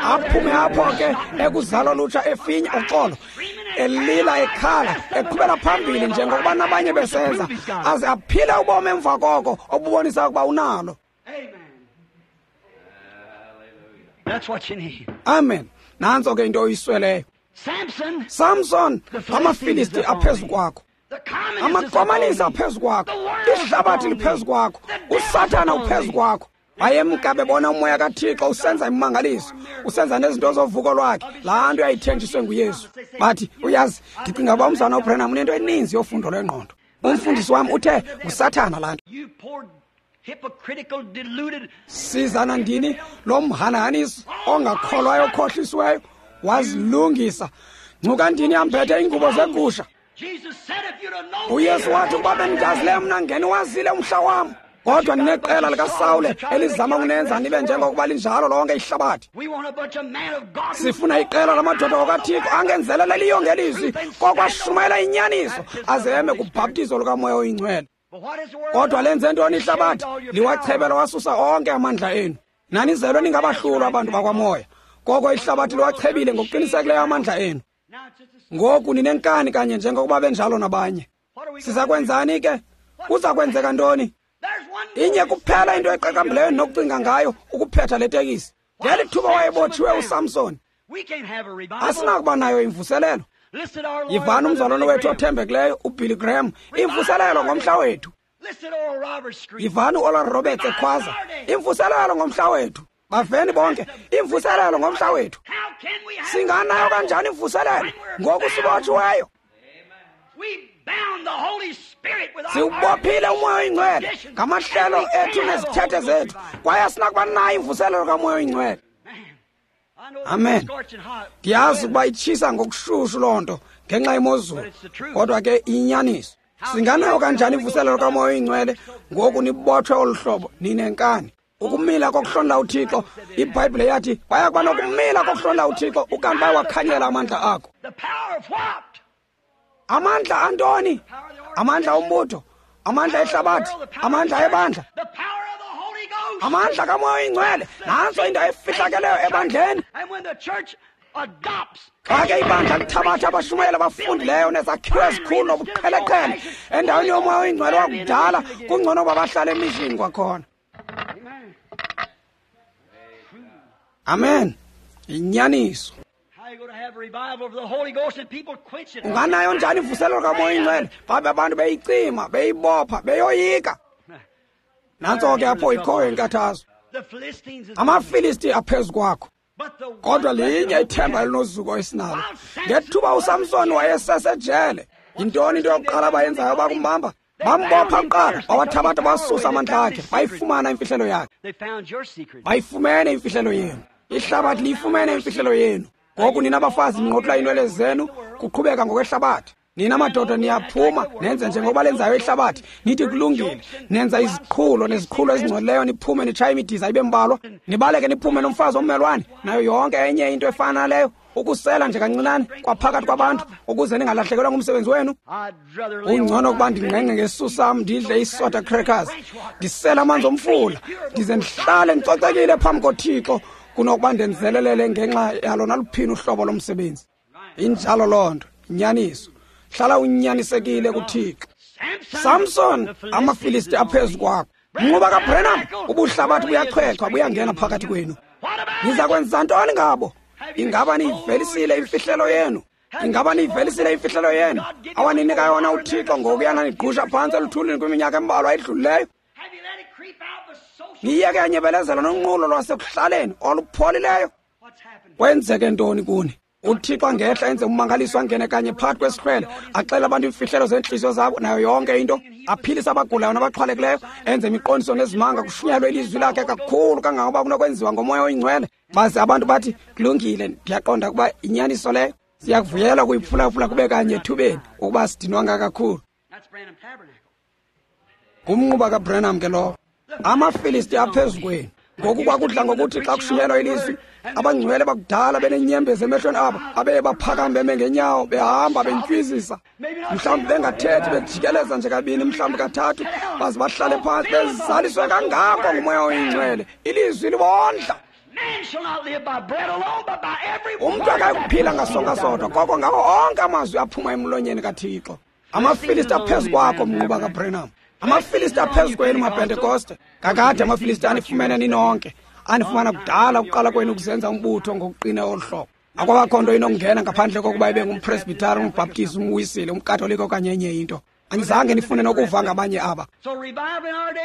Aphume apho ke ekuzalo lutsha efinya uxolo, elila ekhala, eqhubela phambili njengokuba nabanye besenza, aze aphile ubomi emva koko obubonisa ukuba unalo. Amen. Nantso ke into oyisweleyo. Samson, amaFilisti aphezu kwakho, amakomanisi aphezu kwakho, ihlabathi liphezu kwakho, uSathana uphezu kwakho. Bayemka bebona umoya kaThixo usenza imimangaliso, usenza nezinto zovuko lwakhe, laa nto yayithenjiswe nguYesu. Bathi, uyazi, ndicinga uba umzana uBranham unento eninzi yofundo lwengqondo. Umfundisi wam uthe nguSathana laa nto. Sizana ndini lo mhanahanisi ongakholwayo okhohlisiweyo wazilungisa. Ngcuka ndini yambethe iingubo zegusha. uYesu wathi ukuba bendidazileyo mna ngeniwazile umhla wam. Kodwa nineqela likaSawule elizama ukunenza nibe njengokuba linjalo lonke ihlabathi. Sifuna iqela lamadoda okaThixo angenzeleleliyo ngelizwi kokwashumayela inyaniso aze eme kubhaptizo lukaMoya oyiNgcwele. Kodwa lenze ntoni ihlabathi? Liwachebela wasusa onke amandla enu. Nanizelwe ningabahlulwa abantu bakwamoya. Koko ihlabathi liwachebile ngokuqinisekileyo amandla enu. Ngoku ninenkani kanye njengokuba benjalo nabanye. Siza kwenzani ke? Kuza kwenzeka ntoni? Inye kuphela into eqaqambileyo nokucinga ngayo ukuphetha le tekisi. Ngeli thuba wayebotshiwe uSamson, asinakuba nayo imvuselelo. Yivani umzalwane wethu othembekileyo uBilly Graham, imvuselelo ngomhla wethu. Yivani uOral Roberts ekhwaza, imvuselelo ngomhla wethu. Baveni bonke, imvuselelo ngomhla wethu. Singanayo kanjani imvuselelo ngoku sibotshiweyo? Siwubophile uMoya oyiNgcwele ngamahlelo ethu nezithethe zethu, kwaye asinakuba nayo imvuselelo kaMoya oyiNgcwele. Amen. Ndiyazi ukuba itshisa ngokushushu loo nto ngenxa yemozulu, kodwa ke iyinyaniso. Singanayo kanjani imvuselelo kaMoya oyiNgcwele ngoku nibotshwe olu hlobo ninenkani? Ukumila kokuhlonela uThixo, iBhayibhile yathi baya kuba nokumila kokuhlonela uThixo ukanti bayawakhanyela amandla akho. Amandla antoni? Amandla ombutho, amandla ehlabathi, amandla ebandla, amandla kaMoya oyiNgcwele. Nantso into efihlakeleyo ebandleni. Xa ke ibandla lithabatha abashumayeli abafundileyo nezakhiwo ezikhulu nobuqheleqhele endaweni yoMoya oyiNgcwele wakudala, kungcono uba bahlale emishini kwakhona. Amen. Inyaniso. Unganayo njani imvuselelo kaMoya oyiNgcwele babe abantu beyicima, beyibopha, beyoyika? Nantso ke apho ikhoyo inkathazo. AmaFilisti aphezu kwakho, kodwa linye ithemba elinozuko esinalo. Ngethuba uSamson wayesesejele, yintoni into yokuqala abayenzayo bakumbamba? Bambopha kuqala, bawathabatha basusa amandla akhe, bayifumana imfihlelo yakhe. Bayifumene imfihlelo yenu. Ihlabathi liyifumene imfihlelo yenu. Ngoku nina bafazi ninqotula iinwele zenu kuqhubeka ngokwehlabathi. Nina madoda niyaphuma nenze njengokuba lenzayo ihlabathi, nithi kulungile. Nenza iziqhulo neziqhulo ezingcolileyo, niphume nitshaye imidiza ibe mbalwa, nibaleke niphume nomfazi ommelwane nayo yonke enye into efana naleyo, ukusela nje kancinane kwaphakathi kwabantu ukuze ningalahlekelwa ngumsebenzi wenu. Ungcono ukuba ndingqengqe ngesisu sam, ndidle isoda crackers, ndisele amanzi omfula, ndize ndihlale ndicocekile phambi koThixo kunokuba ndenzelelele ngenxa yalo naluphini uhlobo lomsebenzi. Injalo loo nto, inyaniso. Hlala unyanisekile kuThixo. Samson, amaFilisti aphezu kwakho. Mnquba kaBranham, ubuhlabathi buyachwechwa buyangena phakathi kwenu. Niza kwenza ntoni ngabo? Ingaba niyivelisile imfihlelo yenu? Ingaba niyivelisile imfihlelo yenu awaninika yona uThixo ngokuyana nigqusha phantsi eluthulini kwiminyaka embalwa edlulileyo? Niyeke yanyebelezela nonqulo lwasekuhlaleni olupholileyo. Kwenzeke ntoni kuni? uThixo angehla enze ummangaliso, angene kanye phakathi kwesihlwele, axele abantu iimfihlelo zeentliziyo zabo nayo yonke into, aphilise abagulayo nabaxhwalekileyo, enze imiqondiso nezimanga, kushunyelwe ilizwi lakhe kakhulu kangangoba kunokwenziwa ngoMoya oyiNgcwele. Baze abantu bathi, kulungile, ndiyaqonda ukuba inyaniso leyo. Siyakuvuyela ukuyiphulaphula kube kanye ethubeni ukuba sidinwanga kakhulu. Ngumnquba kaBranham ke lowo. AmaFilisti aphezu kwenu. Ngoku kwakudla ngokuthi xa kushunyelwa ilizwi, abangcwele bakudala benenyembezi emehlweni abo, abeye baphakame beme ngenyawo, behamba bentywizisa, mhlawumbi bengathethi, bejikeleza nje kabini mhlawumbi kathathu, baze bahlale phantsi bezaliswe kangako nguMoya oyiNgcwele. Ilizwi libondla. Umntu akayikuphila ngasonka sodwa, koko ngawo onke amazwi aphuma emlonyeni kaThixo. AmaFilisti aphezu kwakho, mnquba kaBranham. AmaFilisti aphezu kwenu, maPentekoste. Kakade amaFilisti anifumene ninonke, anifumana kudala ukuqala kwenu ukuzenza umbutho ngokuqina olu hlobo. Akwabakho nto inokungena ngaphandle kokuba ibe ngumpresbitari, umbhaptizi, umwisile, umkatolika okanye enye into. Andizange ndifune nokuva ngabanye aba.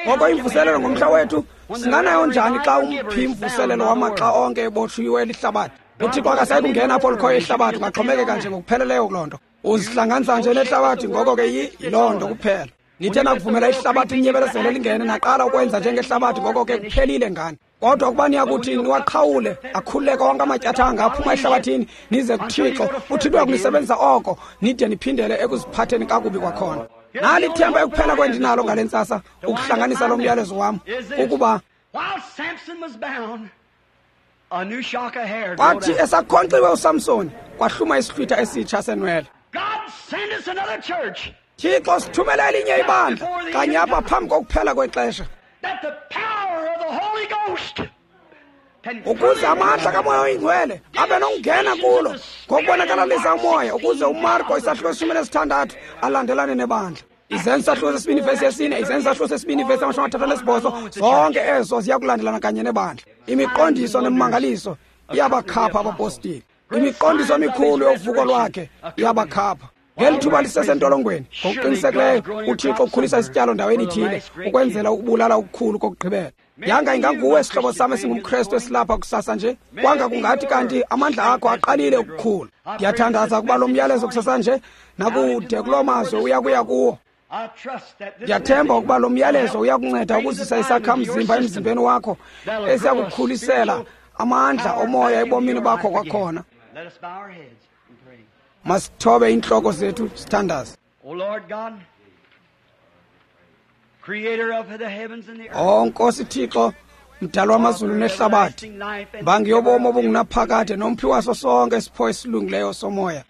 Ngoko imvuselelo ngomhla wethu singanayo njani xa umphi imvuselelo wamaxa onke ebotshiwe lihlabathi? UThixo akasayi kungena apho likhoyo ihlabathi, ungaxhomekeka nje ngokupheleleyo kuloo nto. Uzihlanganisa nje nehlabathi, ngoko ke yiloo nto kuphela. Nithe nakuvumela ihlabathi linyebelezele lingene, naqala ukwenza njengehlabathi, ngoko ke kuphelile ngani. Kodwa ukuba niyakuthi niwaqhawule, akhululeke onke amatyathanga aphuma ehlabathini, nize kuThixo, uThixo uyakunisebenzisa oko, nide niphindele ekuziphatheni kakubi kwakhona. Nali ithemba ekuphela kwendinalo ngale ntsasa, ukuhlanganisa lo myalezo wam, ukuba kwathi esakhonkxiwe uSamsoni, kwahluma isihlwitha esitsha senwele. Thixo sithumele elinye ibandla kanye apha phambi kokuphela kwexesha, ukuze amandla kaMoya oyiNgcwele abe nokungena kulo ngokubonakalalisa umoya, ukuze uMarko isahluko 16 alandelane nebandla. Izenzo isahluko 2 vesi 4, Izenzo isahluko 2 vesi 38, zonke ezo ziya kulandelana kanye nebandla. Imiqondiso nemimangaliso iyabakhapha abapostile. Imiqondiso emikhulu yovuko lwakhe iyabakhapha. Ngeli thuba lisesentolongweni, ngokuqinisekileyo uThixo ukhulisa isityalo ndaweni ithile ukwenzela ukubulala okukhulu kokugqibela. Yanga inganguwe sihlobo sam esingumKrestu esilapha kusasa nje, kwanga kungathi kanti amandla akho aqalile ukukhula. Ndiyathandaza ukuba lo myalezo kusasa nje nakude kuloo mazwe uya kuya kuwo. Ndiyathemba ukuba lo myalezo uyakunceda ukuzisa isakhamzimba emzimbeni wakho esiyakukhulisela amandla omoya ebomini bakho kwakhona. Masithobe iintloko zethu sithandaze. O Nkosi Thixo, mdali wamazulu nehlabathi, mbangi yobomi obungunaphakade nomphi waso sonke isipho esilungileyo somoya,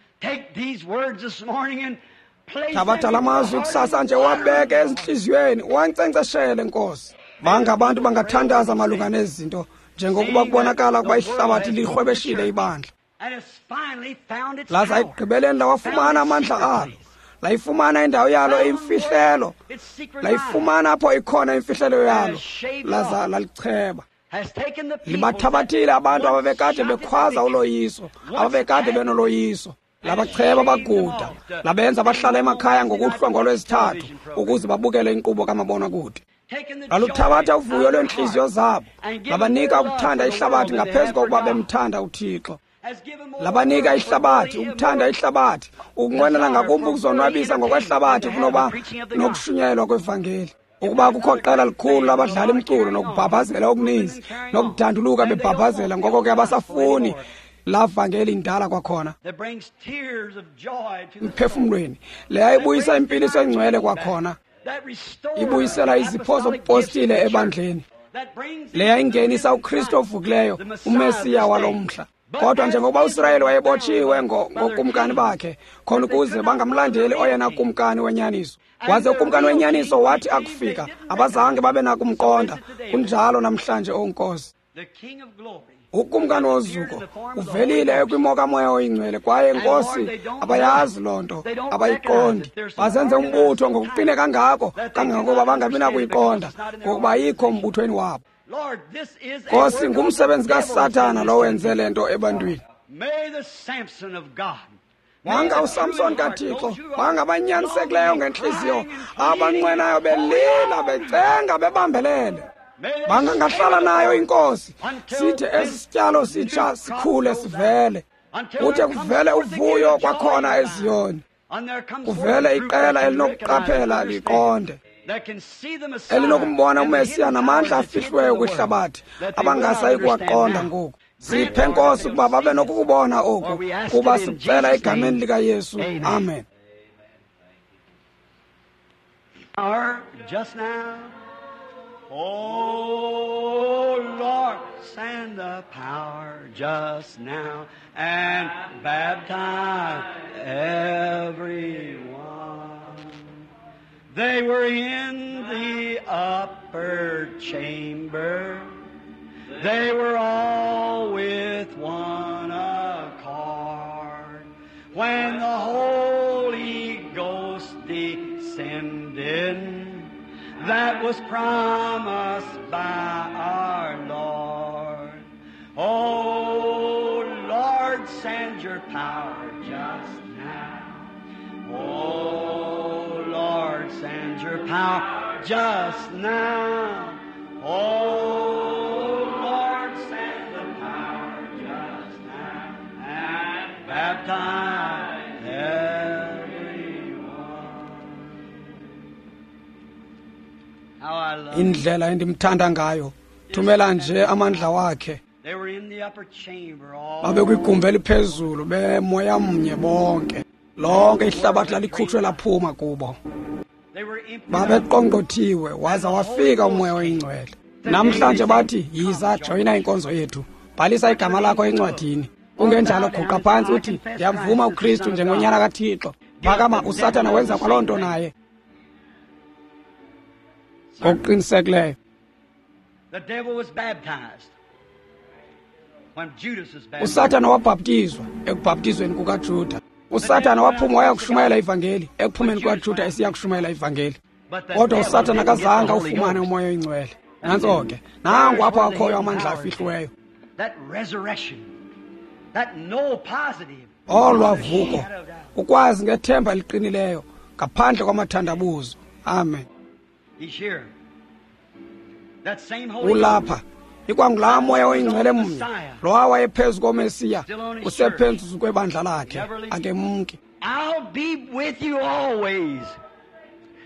thabatha la mazwi kusasa nje wabeke ezintliziyweni, wankcenkceshele Nkosi. Banga abantu bangathandaza malunga nezi zinto, njengokuba kubonakala ukuba ihlabathi lirhwebeshile ibandla. Laza ekugqibeleni lawafumana amandla alo, layifumana indawo yalo eyimfihlelo, layifumana apho ikhona imfihlelo yalo, laza lalicheba. Libathabathile abantu ababekade bekhwaza uloyiso, ababekade benoloyiso. Labacheba baguda, labenza bahlala emakhaya ngokuhlwa ngolwezithathu ukuze babukele inkqubo kamabonakude. Laluthabatha uvuyo lweentliziyo zabo, labanika ukuthanda ihlabathi ngaphezu kokuba bemthanda uThixo. Labanika ihlabathi, ukuthanda ihlabathi, ukunqwenela ngakumbi ukuzonwabisa ngokwehlabathi kunoba nokushunyayelwa kwevangeli. Ukuba kukho qela likhulu labadlala imculo nokubhabhazela okuninzi nokudanduluka bebhabhazela, ngoko ke abasafuni laa vangeli indala kwakhona emphefumlweni. Leya ibuyisa impiliso engcwele kwakhona, ibuyisela izipho zobupostile ebandleni. Leya ingenisa uKristu ovukileyo, uMesiya walo mhla. Kodwa njengokuba uSirayeli wayebotshiwe ngokumkani bakhe, khona ukuze bangamlandeli oyena kumkani wenyaniso. Waze ukumkani wenyaniso wathi akufika, abazange babe nakumqonda. Kunjalo namhlanje, O Nkosi. Ukumkani wozuko uvelile kwimo kaMoya oyiNgcwele, kwaye Nkosi abayazi loo nto, abayiqondi. Bazenze umbutho ngokuqine kangako kangangokuba bangabi nakuyiqonda, ngokuba ayikho mbuthweni wabo. Nkosi, ngumsebenzi kaSathana lo wenze le nto ebantwini. Banga uSamson kaThixo, banga abanyanisekileyo ngentliziyo, abanqwenayo belila, becenga, bebambelele. Bangangahlala nayo inkosi, sithe esi sityalo sitsha sikhule sivele, kuthe kuvele uvuyo kwakhona eZiyoni, kuvele iqela elinokuqaphela liqonde, elinokumbona uMesiya namandla afihliweyo kwihlabathi abangasayi kuwaqonda ngoku. Siphe Nkosi ukuba babe nokukubona oku, kuba sikucela egameni likaYesu. Amen. Just now, oh Lord, send the power just now and baptize everyone. They were in the upper chamber. They were all with one accord. When the Holy Ghost descended, that was promised by our Lord. Oh, Lord, send your power just now. Oh, Lord, send your power just now. Oh, Lord, send the power just now. And baptize everyone. How I love Indlela endimthanda ngayo, thumela nje amandla wakhe. They were in the upper chamber all Babekwigumbi eliphezulu bemoya mnye bonke. Lonke ihlabathi lalikhutshwe laphuma kubo. They were empty. Babeqongqothiwe waza wafika uMoya oyiNgcwele. Namhlanje bathi, yiza joyina inkonzo yethu, bhalisa igama lakho encwadini. Kungenjalo guqa phantsi uthi, ndiyamvuma uKristu njengonyana kaThixo. Phakama, uSathana wenza kwaloo nto naye. Ngokuqinisekileyo. The devil was baptized when Judas was baptized. USathana wabhaptizwa ekubhaptizweni kukaJuda. uSathana waphuma waya kushumayela ivangeli ekuphumeni kukaJuda esiya kushumayela ivangeli. But the Kodwa devil uSathana didn't get the akazange Holy awufumane Ghost. uMoya oyiNgcwele. Nantso ke, nangu apho akhoyo amandla afihliweyo. That resurrection, that no positive, Olwa vuko, ukwazi ngethemba eliqinileyo ngaphandle kwamathandabuzo. Amen. He's here. That same Holy Ghost Ulapha. Ikwangulaa Moya oyiNgcwele mnye, lowa wayephezu koMesiya, usephezu kwebandla lakhe, akemki. I'll be with you always.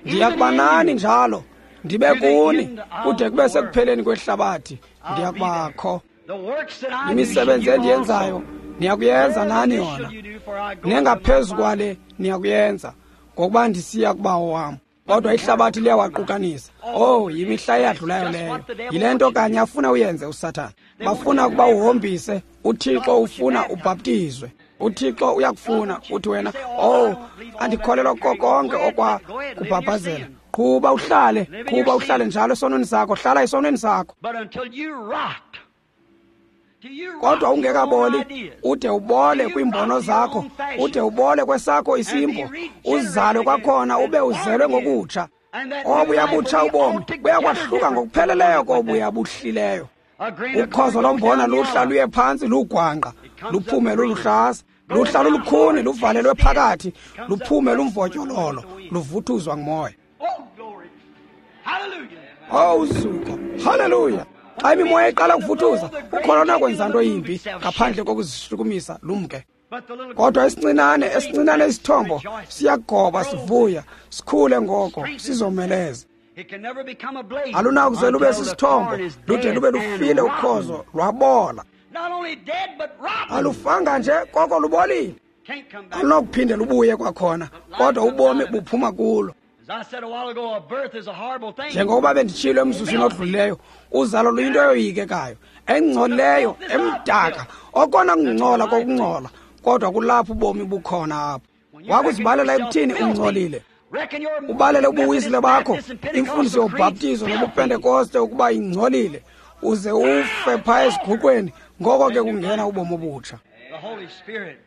Ndiya kuba nani njalo, ndibe kuni, kude kube sekupheleni kwehlabathi, ndiya kubakho. The works that I do, Imisebenzi shall you endiyenzayo also. niyakuyenza nani This yona, shall you do, for I go to nengaphezu my Father. kwale niyakuyenza, ngokuba ndisiya kubawo wam. Kodwa ihlabathi liyawaqukanisa. Oh, yimihla eyadlulayo leyo. Yile nto kanye afuna uyenze uSathana. Bafuna ukuba uhombise, uThixo ufuna ubhaptizwe. uThixo uyakufuna uthi wena, oh, andikholelwa kuko konke okwa kubhabhazela. Qhuba uhlale, qhuba uhlale njalo esonweni sakho, hlala esonweni sakho. But until you rot, till you Kodwa rot your own ungekaboli, ideas, ude ubole kwiimbono zakho, ude ubole kwesakho isimbo, uzalwe kwakhona ube uzelwe ngokutsha. Obuya butsha ubomi buyakwahluka ngokupheleleyo kobuya buhlileyo. a grain of Ukhozo corn goes lombona down luhla yellow. luye phantsi lugwangqa, luphume luluhlaza, luhla lulukhuni luvalelwe phakathi, luphume lumvotyololo, luvuthuzwa ngumoya. Oh, glory. Hallelujah. Oh uzuko, haleluya! Xa imimoya iqala ukuvuthuza, ukholo nakwenza nto yimbi ngaphandle kokuzishukumisa lumke. But the little Kodwa esincinane, esincinane isithombo siyagoba sivuya, sikhule ngoko sizomeleze. It can never become a blaze Alunakuze lube until the sisithombo, corn is lude dead lube and lufile rotten. ukhozo lwabola. Not only dead, but rotten. Alufanga nje koko lubolile. Can't come back. Alunokuphinde lubuye kwakhona, kodwa ubomi buphuma kulo. As I said a while ago, a birth is a horrible thing. Njengokuba benditshilo emzuzwini odlulileyo, uzalo luyinto eyoyikekayo, engcolileyo, emdaka, okona kungcola kokungcola, kodwa kulapho ubomi bukhona apho. When you Wakuzibalela reckon yourself ekuthini filthy, ungcolile, reckon your ubalele ubuwisile Methodist, bakho, Baptist, and imfundiso Pentecostal yobhaptizo creeds nobupentekoste ukuba ingcolile, uze ufe phaa esiguqweni, ngoko ke kungena ubomi obutsha. filthy. The Holy Spirit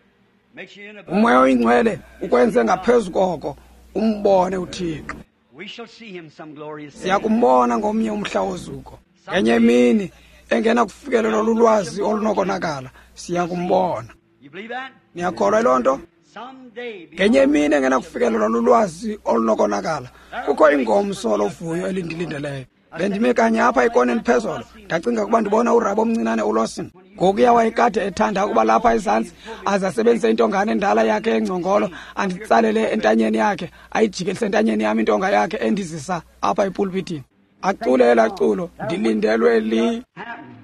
makes you in a Umoya oyiNgcwele ukwenze ngaphezu koko, umbone uThixo. We shall see him some glorious day. Siya kumbona ngomnye umhla wozuko. Ngenye imini engenakufikelelwa lulwazi olunokonakala, siya kumbona. You believe that? Niyakholwa yiloo nto? Someday. Ngenye imini engenakufikelelwa lulwazi olunokonakala, kukho ingomso lovuyo elindilindeleyo. Bendime kanye apha ekoneni phezolo, ndacinga ukuba ndibona urabo omncinane uLawson. Ngokuya wayekade ethanda ukuba lapha ezantsi aze asebenzise intongane endala yakhe yengcongolo, anditsalele entanyeni yakhe, ayijikelise entanyeni yam intonga yakhe endizisa apha epulpitini. Acule elaa culo, ndilindelwe li. Happened.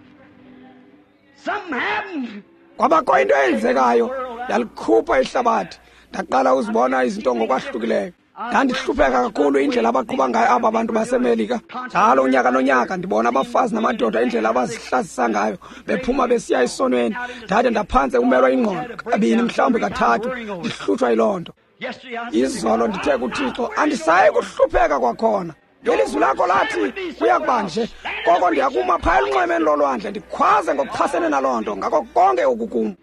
Something happened. Kwabakho into eyenzekayo, yalikhupha ihlabathi. Ndaqala uzibona izinto ngokwahlukileyo. Ndandihlupheka kakhulu indlela abaqhuba ngayo aba bantu baseMelika. Njalo unyaka nonyaka ndibona abafazi namadoda indlela abazihlazisa ngayo bephuma besiya esonweni. Ndade ndaphantse umelwa ingqondo kabini mhlawumbi kathathu, ndihlutshwa yiloo nto. Yesterday I Izolo ndithe kuThixo, andisayi kuhlupheka kwakhona. Ilizwi lakho lathi kuya kuba nje, koko ndiyakuma phaya elunxwemeni lolwandle ndikhwaze ngokuchasene naloo nto ngako konke oku kum.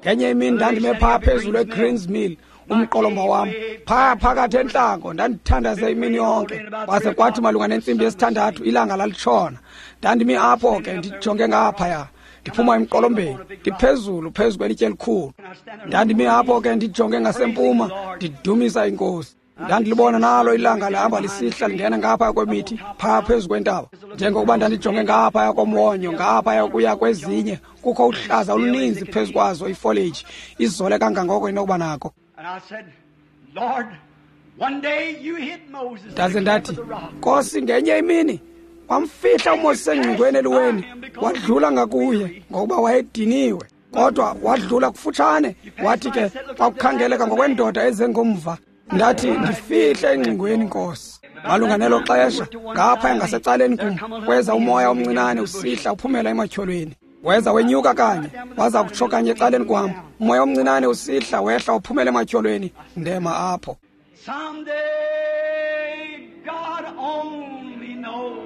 Ngenye imini ndandime phaa phezulu eGreens Mill, umqolomba wam phaya phakathi entlango, ndandithandaze imini yonke. Kwaze kwathi malunga nentsimbi yesithandathu ilanga lalitshona. Ndandimi apho ke ndijonge ngaphaya, Ndiphuma emqolombeni, ndiphezulu phezu kwelitye elikhulu. Ndandimi apho ke ndijonge ngasempuma, ndidumisa iNkosi. Ndandilibona nalo ilanga lihamba lisihla lingena ngaphaya kwemithi phaa phezu kwentaba. Njengokuba ndandijonge ngaphaya komwonyo, ngaphaya kuya kwezinye, kukho uhlaza oluninzi phezu kwazo ifoleji, izole kangangoko inokuba nako. Ndaze ndathi, Nkosi, ngenye imini wamfihla uMoses engcingweni eliweni, wadlula ngakuye ngokuba wayediniwe, kodwa wadlula kufutshane. Wathi ke kwakukhangeleka ngokwendoda ezengomva. Ndathi, ndifihle engcingweni, Nkosi. Malunga nelo xesha, ngaphaya ngasecaleni kum kweza umoya omncinane usihla uphumela ematyholweni. Weza wenyuka kanye, waza kutsho kanye ecaleni kwam. Umoya omncinane usihla wehla uphumela ematyholweni. Ndema apho. Someday, God only knows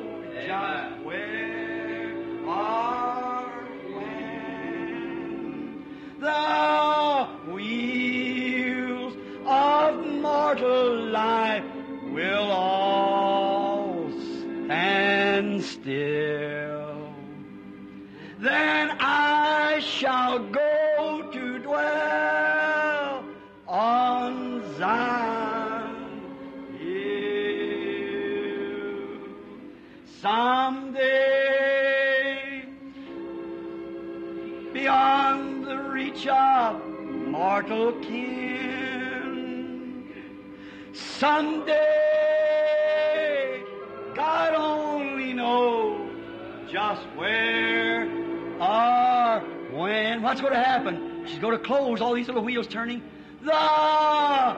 just where or when the wheels of mortal life will all stand still. Then I shall go to dwell on Zion Hill. Someday, beyond the reach of mortal kin, someday, God only knows just where or when. What's going to happen? She's going to close all these little wheels turning. The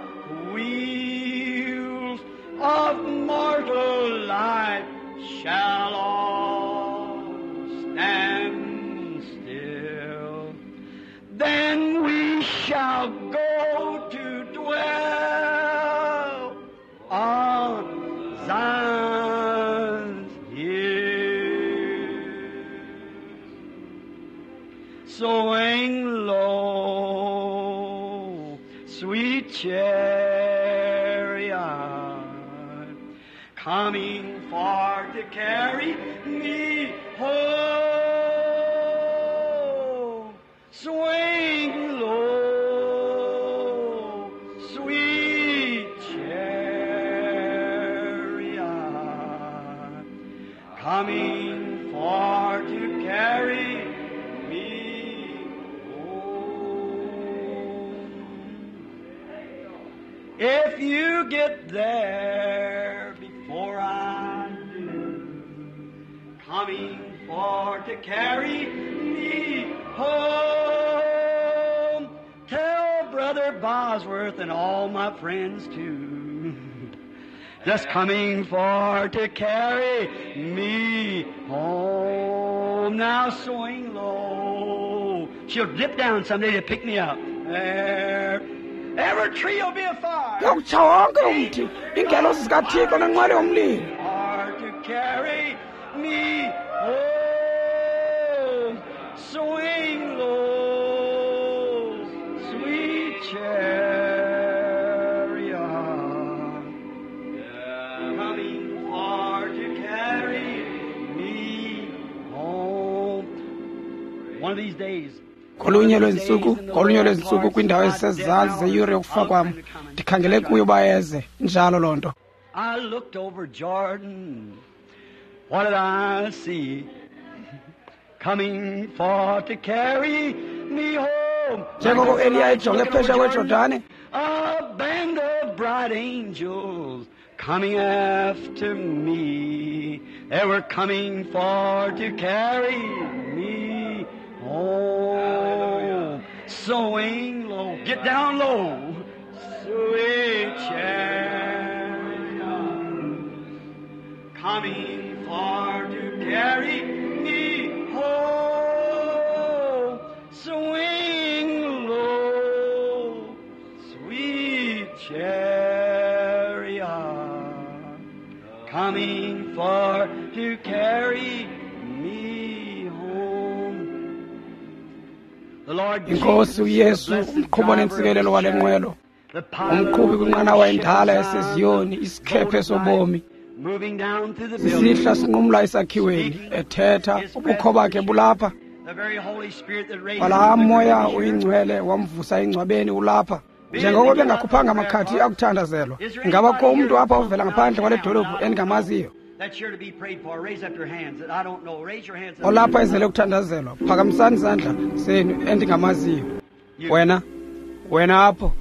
wheels of mortal life shall all stand still. Then we shall go to dwell on Zion's hill. Swing low, sweet chariot, coming for to carry me home. Swing low, sweet chariot, coming for to carry me home. If you get there before I do, coming for to carry me home, tell Brother Bosworth and all my friends too. Just coming for to carry me home. Now swing low. She'll dip down someday to pick me up. There. Every tree will be a fire. Kuyakutsha wonke umthi, iingelosi zikaThixo nenqwelo yomlilo. Are to carry me home. Swing low, sweet chariot, coming for to carry me home. One of these days. Kolunye lweentsuku kwiindawo ezisezantsi zeyure yokufa kwam, ndikhangele kuyo uba eze. Injalo loo nto. I looked over Jordan. What did I see? Coming for to carry me home. Njengoko Eliya ejonge phesheya kweJordane, A band of bright angels coming after me. They were coming for to carry me home. Swing low, get down low. Sweet chariot, coming for to carry me home. Swing low, sweet chariot, coming for to carry me home. The Lord iNkosi uYesu, umqhubi onentsikelelo wale nqwelo, umqhubi kwinqanawa endala yaseZiyoni, isikhephe sobomi, moving down through the building. sisihla sinqumla esakhiweni, ethetha, ubukho bakhe bulapha. Kwalaa moya uyingcwele wamvusa engcwabeni ulapha. Njengoko bengakhuphanga amakhadi akuthandazelwa, ingaba kukho umntu apha ovela ngaphandle kwale dolophu endingamaziyo olapha ezele kuthandazelwa? Phakamisani izandla zenu endingamaziyo. Wena apho,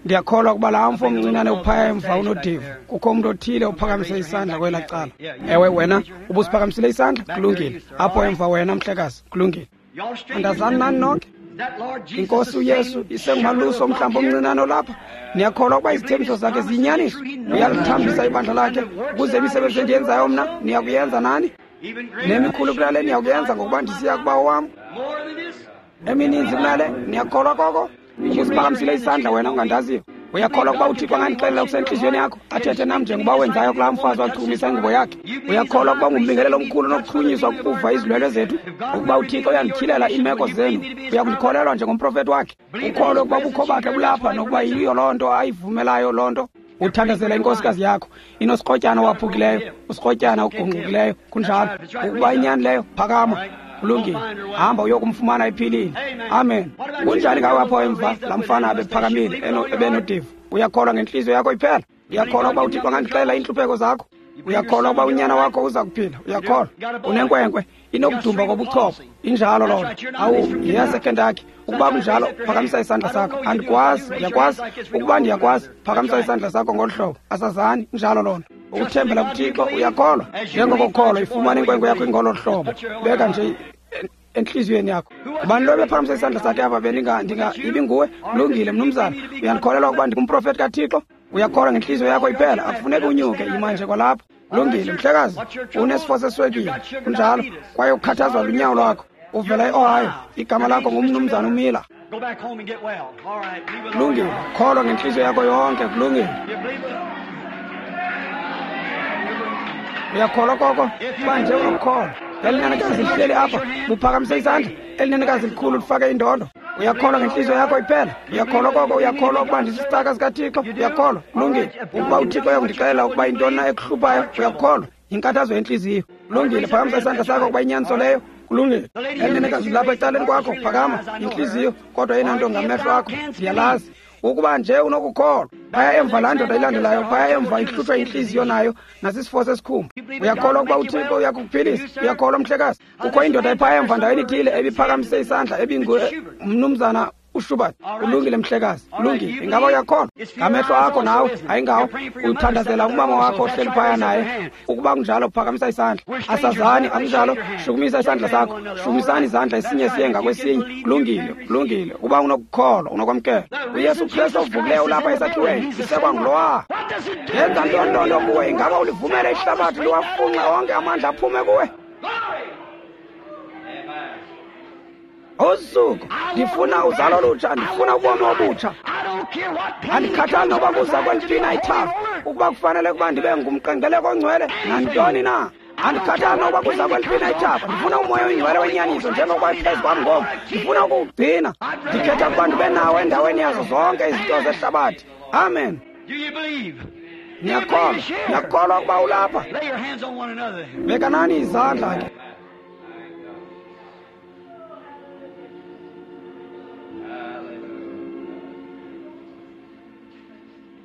ndiyakholwa ukuba laa mfo omncinane uphaya emva unodivu. Kukho umntu othile ophakamise isandla kwelaa cala. Ewe, wena ubusiphakamisile isandla? Kulungile. Apho emva wena, mhlekazi. Kulungile. Andazani nani nonke? Inkosi uYesu isengumalusi omhlambi omncinane olapha. Niyakholwa ukuba izithembiso zakhe ziyinyaniso? Uyalithambisa ibandla lakhe ukuze imisebenzi endiyenzayo mna niyakuyenza nani, nemikhulu kunale niyakuyenza, ngokuba ndisiya kubawo wam. Emininzi kunale. Niyakholwa koko? Ubusiphakamisile isandla wena ungandaziyo. Uyakholwa ukuba uThixo angandixelela okusentliziyweni yakho, athethe nam njengoba wenzayo kulaa mfazi wachukumisa ingubo yakhe? Uyakholwa ukuba ngumbingelelo omkhulu onokuchunyiswa kukuva izilwelwe zethu? Ukuba uThixo uyandityhilela iimeko zenu, uyakundikholelwa njengomprofethi wakhe? Ukholwe ukuba ubukho bakhe bulapha nokuba yiyo loo nto ayivumelayo loo nto? Uthandazela inkosikazi yakho, inosikrotyana owaphukileyo, usikrotyana ogungqukileyo. Kunjalo. Ukuba inyani leyo, phakama. Kulungile, hamba uyokumfumana ephilile. Amen. Kunjani ngawe apho emva, laa mfana abephakamile ebenodivu? Uyakholwa ngentliziyo yakho iphela? Uyakholwa ukuba uThixo angandixelela iintlupheko zakho? Uyakholwa ukuba unyana wakho uza kuphila? Uyakholwa? Unenkwenkwe inokudumba kobuchopho. Injalo loo nto. Awu, yeyaseKentucky. Ukuba kunjalo, phakamisa isandla sakho. Andikwazi, ndiyakwazi. Ukuba ndiyakwazi, phakamisa isandla sakho ngolu hlobo. Asazani, injalo loo nto. Ukuthembela kuThixo, uyakholwa. Njengoko ukholwa, ifumana inkwenkwe yakho ingolo hlobo. Beka nje entliziyweni yakho. Ubani lo bephakamisa isandla sakhe apha? Ibinguwe? Kulungile, mnumzana. Uyandikholelwa ukuba ndingumprofethi kaThixo? Uyakholwa ngentliziyo yakho iphela? Akufuneki unyuke, yima nje kwalapho. Kulungile, mhlekazi. Unesifo seswekile. Kunjalo. Kwaye ukhathazwa lunyawo lwakho. Uvela eOhio. Igama lakho ngumnumzana uMiller. Kulungile. Kholwa ngentliziyo yakho yonke. Kulungile. Uyakholwa koko? Uba nje unokukholwa. Elinenekazi lihleli apha, buphakamise isandla. Elinenekazi likhulu lifake indondo. Uyakholwa ngentliziyo yakho iphela? Uyakholwa koko? Uyakholwa ukuba ndisisicaka sikaThixo? Uyakholwa? Kulungile. Ukuba uThixo uyakundixelela ukuba yintoni na ekuhluphayo, uyakholwa? Yinkathazo yentliziyo. Kulungile, phakamisa isandla sakho ukuba inyaniso leyo. Kulungile. Elinenekazi lapha ecaleni kwakho, phakama. Intliziyo, kodwa eyona nto ngamehlo akho, ndiyalazi. Ukuba nje unokukholwa. Phaya emva laa ndoda ilandelayo, phaya emva ihlutshwa intliziyo nayo nasisifo sesikhumba. Uyakholwa ukuba uThixo uyakukuphilisa? Uyakholwa, mhlekazi? Kukho indoda ephaya emva ndaweni ithile ebiphakamise isandla, ebingumnumzana uShubert. Kulungile, mhlekazi. Kulungile. Ingaba uyakholwa? Ngamehlo akho nawe, ayingawo. Uthandazela umama wakho ohleli phaya naye. Ukuba kunjalo, phakamisa isandla. Asazani, akunjalo? Shukumisa isandla sakho. Shukumisani izandla esinye siye ngakwesinye. Kulungile, kulungile. Ukuba unokukholwa, unokwamkela. uYesu Kristu ovukileyo ulapha esakhiweni, isekwa ngulowa. Yenza ntoni loo nto kuwe? Ingaba ulivumele ihlabathi liwafunxe onke amandla aphume kuwe? Usuku ndifuna uzalo olutsha, ndifuna ubomi obutsha. Andikhathali noba kuza kweliphi na ithafa, ukuba kufanele ukuba ndibe ngumqengeleko ongcwele nantoni na. Andikhathali noba kuza kweliphi na ithafa, ndifuna umoya oyingcwele wenyaniso njengokuba iphezu kwam ngoku. Ndifuna ukuwugcina. Ndikhetha ukuba ndibe nawo endaweni yazo zonke izinto zehlabathi. Amen. Niyakholwa? Niyakholwa ukuba ulapha? Bekanani izandla ke.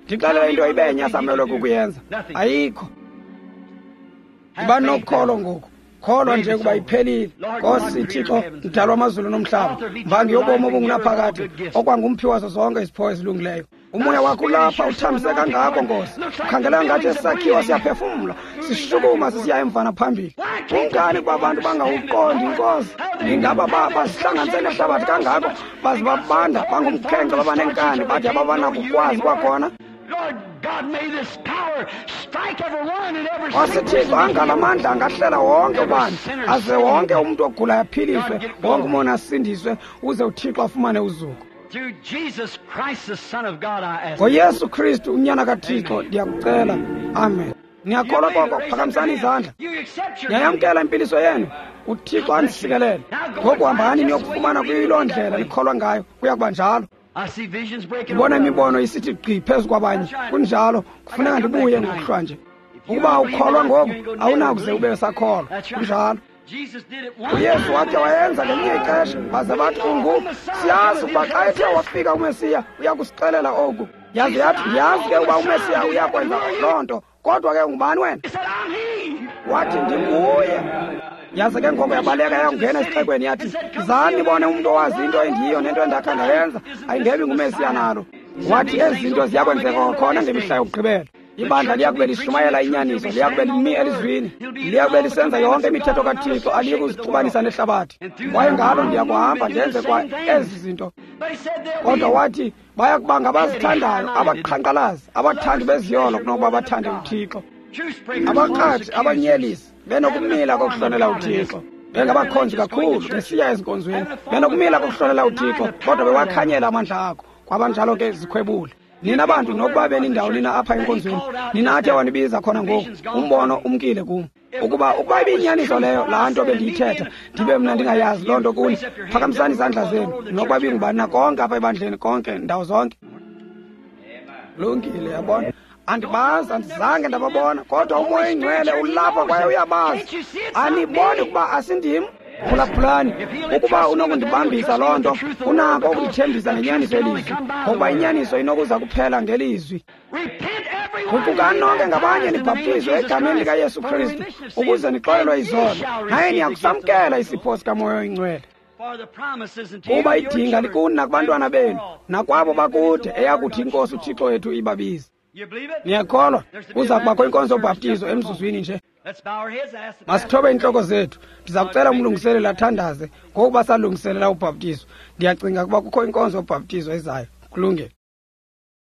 Ndixelele into ibenye asamelwe kukuyenza. Ayikho. Yiba nokholo ngoku. Kholwa nje kuba iphelile. Nkosi Thixo, mdali wamazulu nomhlaba, mvangi yobomi obungunaphakade, okwangumphi wazo zonke izipho ezilungileyo. Umoya wakho ulapha uthambise kangako, Nkosi. Ukhangeleka ngathi esakhiwo siyaphefumla, sishukuma sisiya emva naphambili. Kungani kuba abantu bangawuqondi, Nkosi? Ingaba bazihlanganise nehlabathi kangako, baze babanda bangumkhenkce babanenkani, bade ababanakukwazi kwakhona? Nkosi Thixo, angala mandla angahlela wonke ubani, aze wonke umntu ogulayo aphiliswe, wonke umoni asindiswe, uze uThixo afumane uzuko. NgoYesu Kristu unyana kaThixo ndiyakucela. Amen. Niyakholwa koko? Phakamisani izandla. Niyayamkela impiliso yenu? uThixo andisikelele. Ngoku hambani niyokufumana kuyiloo ndlela nikholwa ngayo, kuya kuba njalo. Ndibona imibono isithi gqi phezu kwabanye. Kunjalo, kufuneka ndibuye ngokuhlwa nje. Ukuba ukholwa ngoku, awunakuze ube usakholwa. Kunjalo. UYesu wakhe wayenza ngelinye ixesha, baze bathi ungu siyazi ukuba xa ethe wafika uMesiya uya kusixelela oku. Yaze yathi, ndiyazi ke uba uMesiya uya kwenza loo nto, kodwa ke ungubani wena? Wathi, ndinguye. Yaze ke ngoko yabaleka yangena esixekweni yathi, zani nibone umntu owazi into endiyiyo nento endakha ndayenza, ayingebi nguMesiya nalo. Wathi ezi zinto ziyakwenzeka kwakhona ngemihla yokugqibela. Ibandla liyakube lishumayela inyaniso, liyakube limi elizwini, liyakube lisenza yonke imithetho kaThixo, aliyi kuzixubanisa nehlabathi. Kwaye ngalo ndiyakuhamba ndenze kwa ezi zinto. Kodwa wathi bayakuba ngabazithandayo, abaqhankqalazi, abathandi beziyolo kunokuba bathande uThixo, abaqhathi, abanyelisi, benokumila kokuhlonela uThixo, bengabakhonzi kakhulu, besiya ezinkonzweni, benokumila kokuhlonela uThixo, kodwa bewakhanyela amandla akho. Kwabanjalo ke zikhwebule. Nina bantu, nokuba benindawo nina apha enkonzweni, nina athe wanibiza khona ngoku, umbono umkile kum. Ukuba ibiyinyaniso leyo, laa nto bendiyithetha, ndibe mna ndingayazi loo nto kuni, phakamisani izandla zenu, nokuba bingubani na konke apha ebandleni, konke, ndawo zonke. Lungile, yabona. Andibazi, andizange ndababona, kodwa uMoya oyiNgcwele ulapha kwaye uyabazi. Aniboni ukuba asindim? Phulaphulani, ukuba unokundibambisa loo nto, unako ukundithembisa ngenyaniso yelizwi, ngokuba inyaniso inokuza kuphela ngelizwi. Guqukani nonke ngabanye nibhaptizwe egameni likaYesu Kristu ukuze nixolelwe izono, naye niyakusamkela isipho sikaMoya oyiNgcwele. Kuba idinga likuni nakubantwana benu, nakwabo bakude, eyakuthi iNkosi uThixo wethu ibabize. Niyakholwa? Kuza kubakho inkonzo yobhaptizo emzuzwini nje. Masithobe iintloko zethu. Ndiza kucela umlungiseleli athandaze ngokuba salungiselela ubhaptizo. Ndiyacinga ukuba kukho inkonzo yobhaptizo ezayo. Kulungile.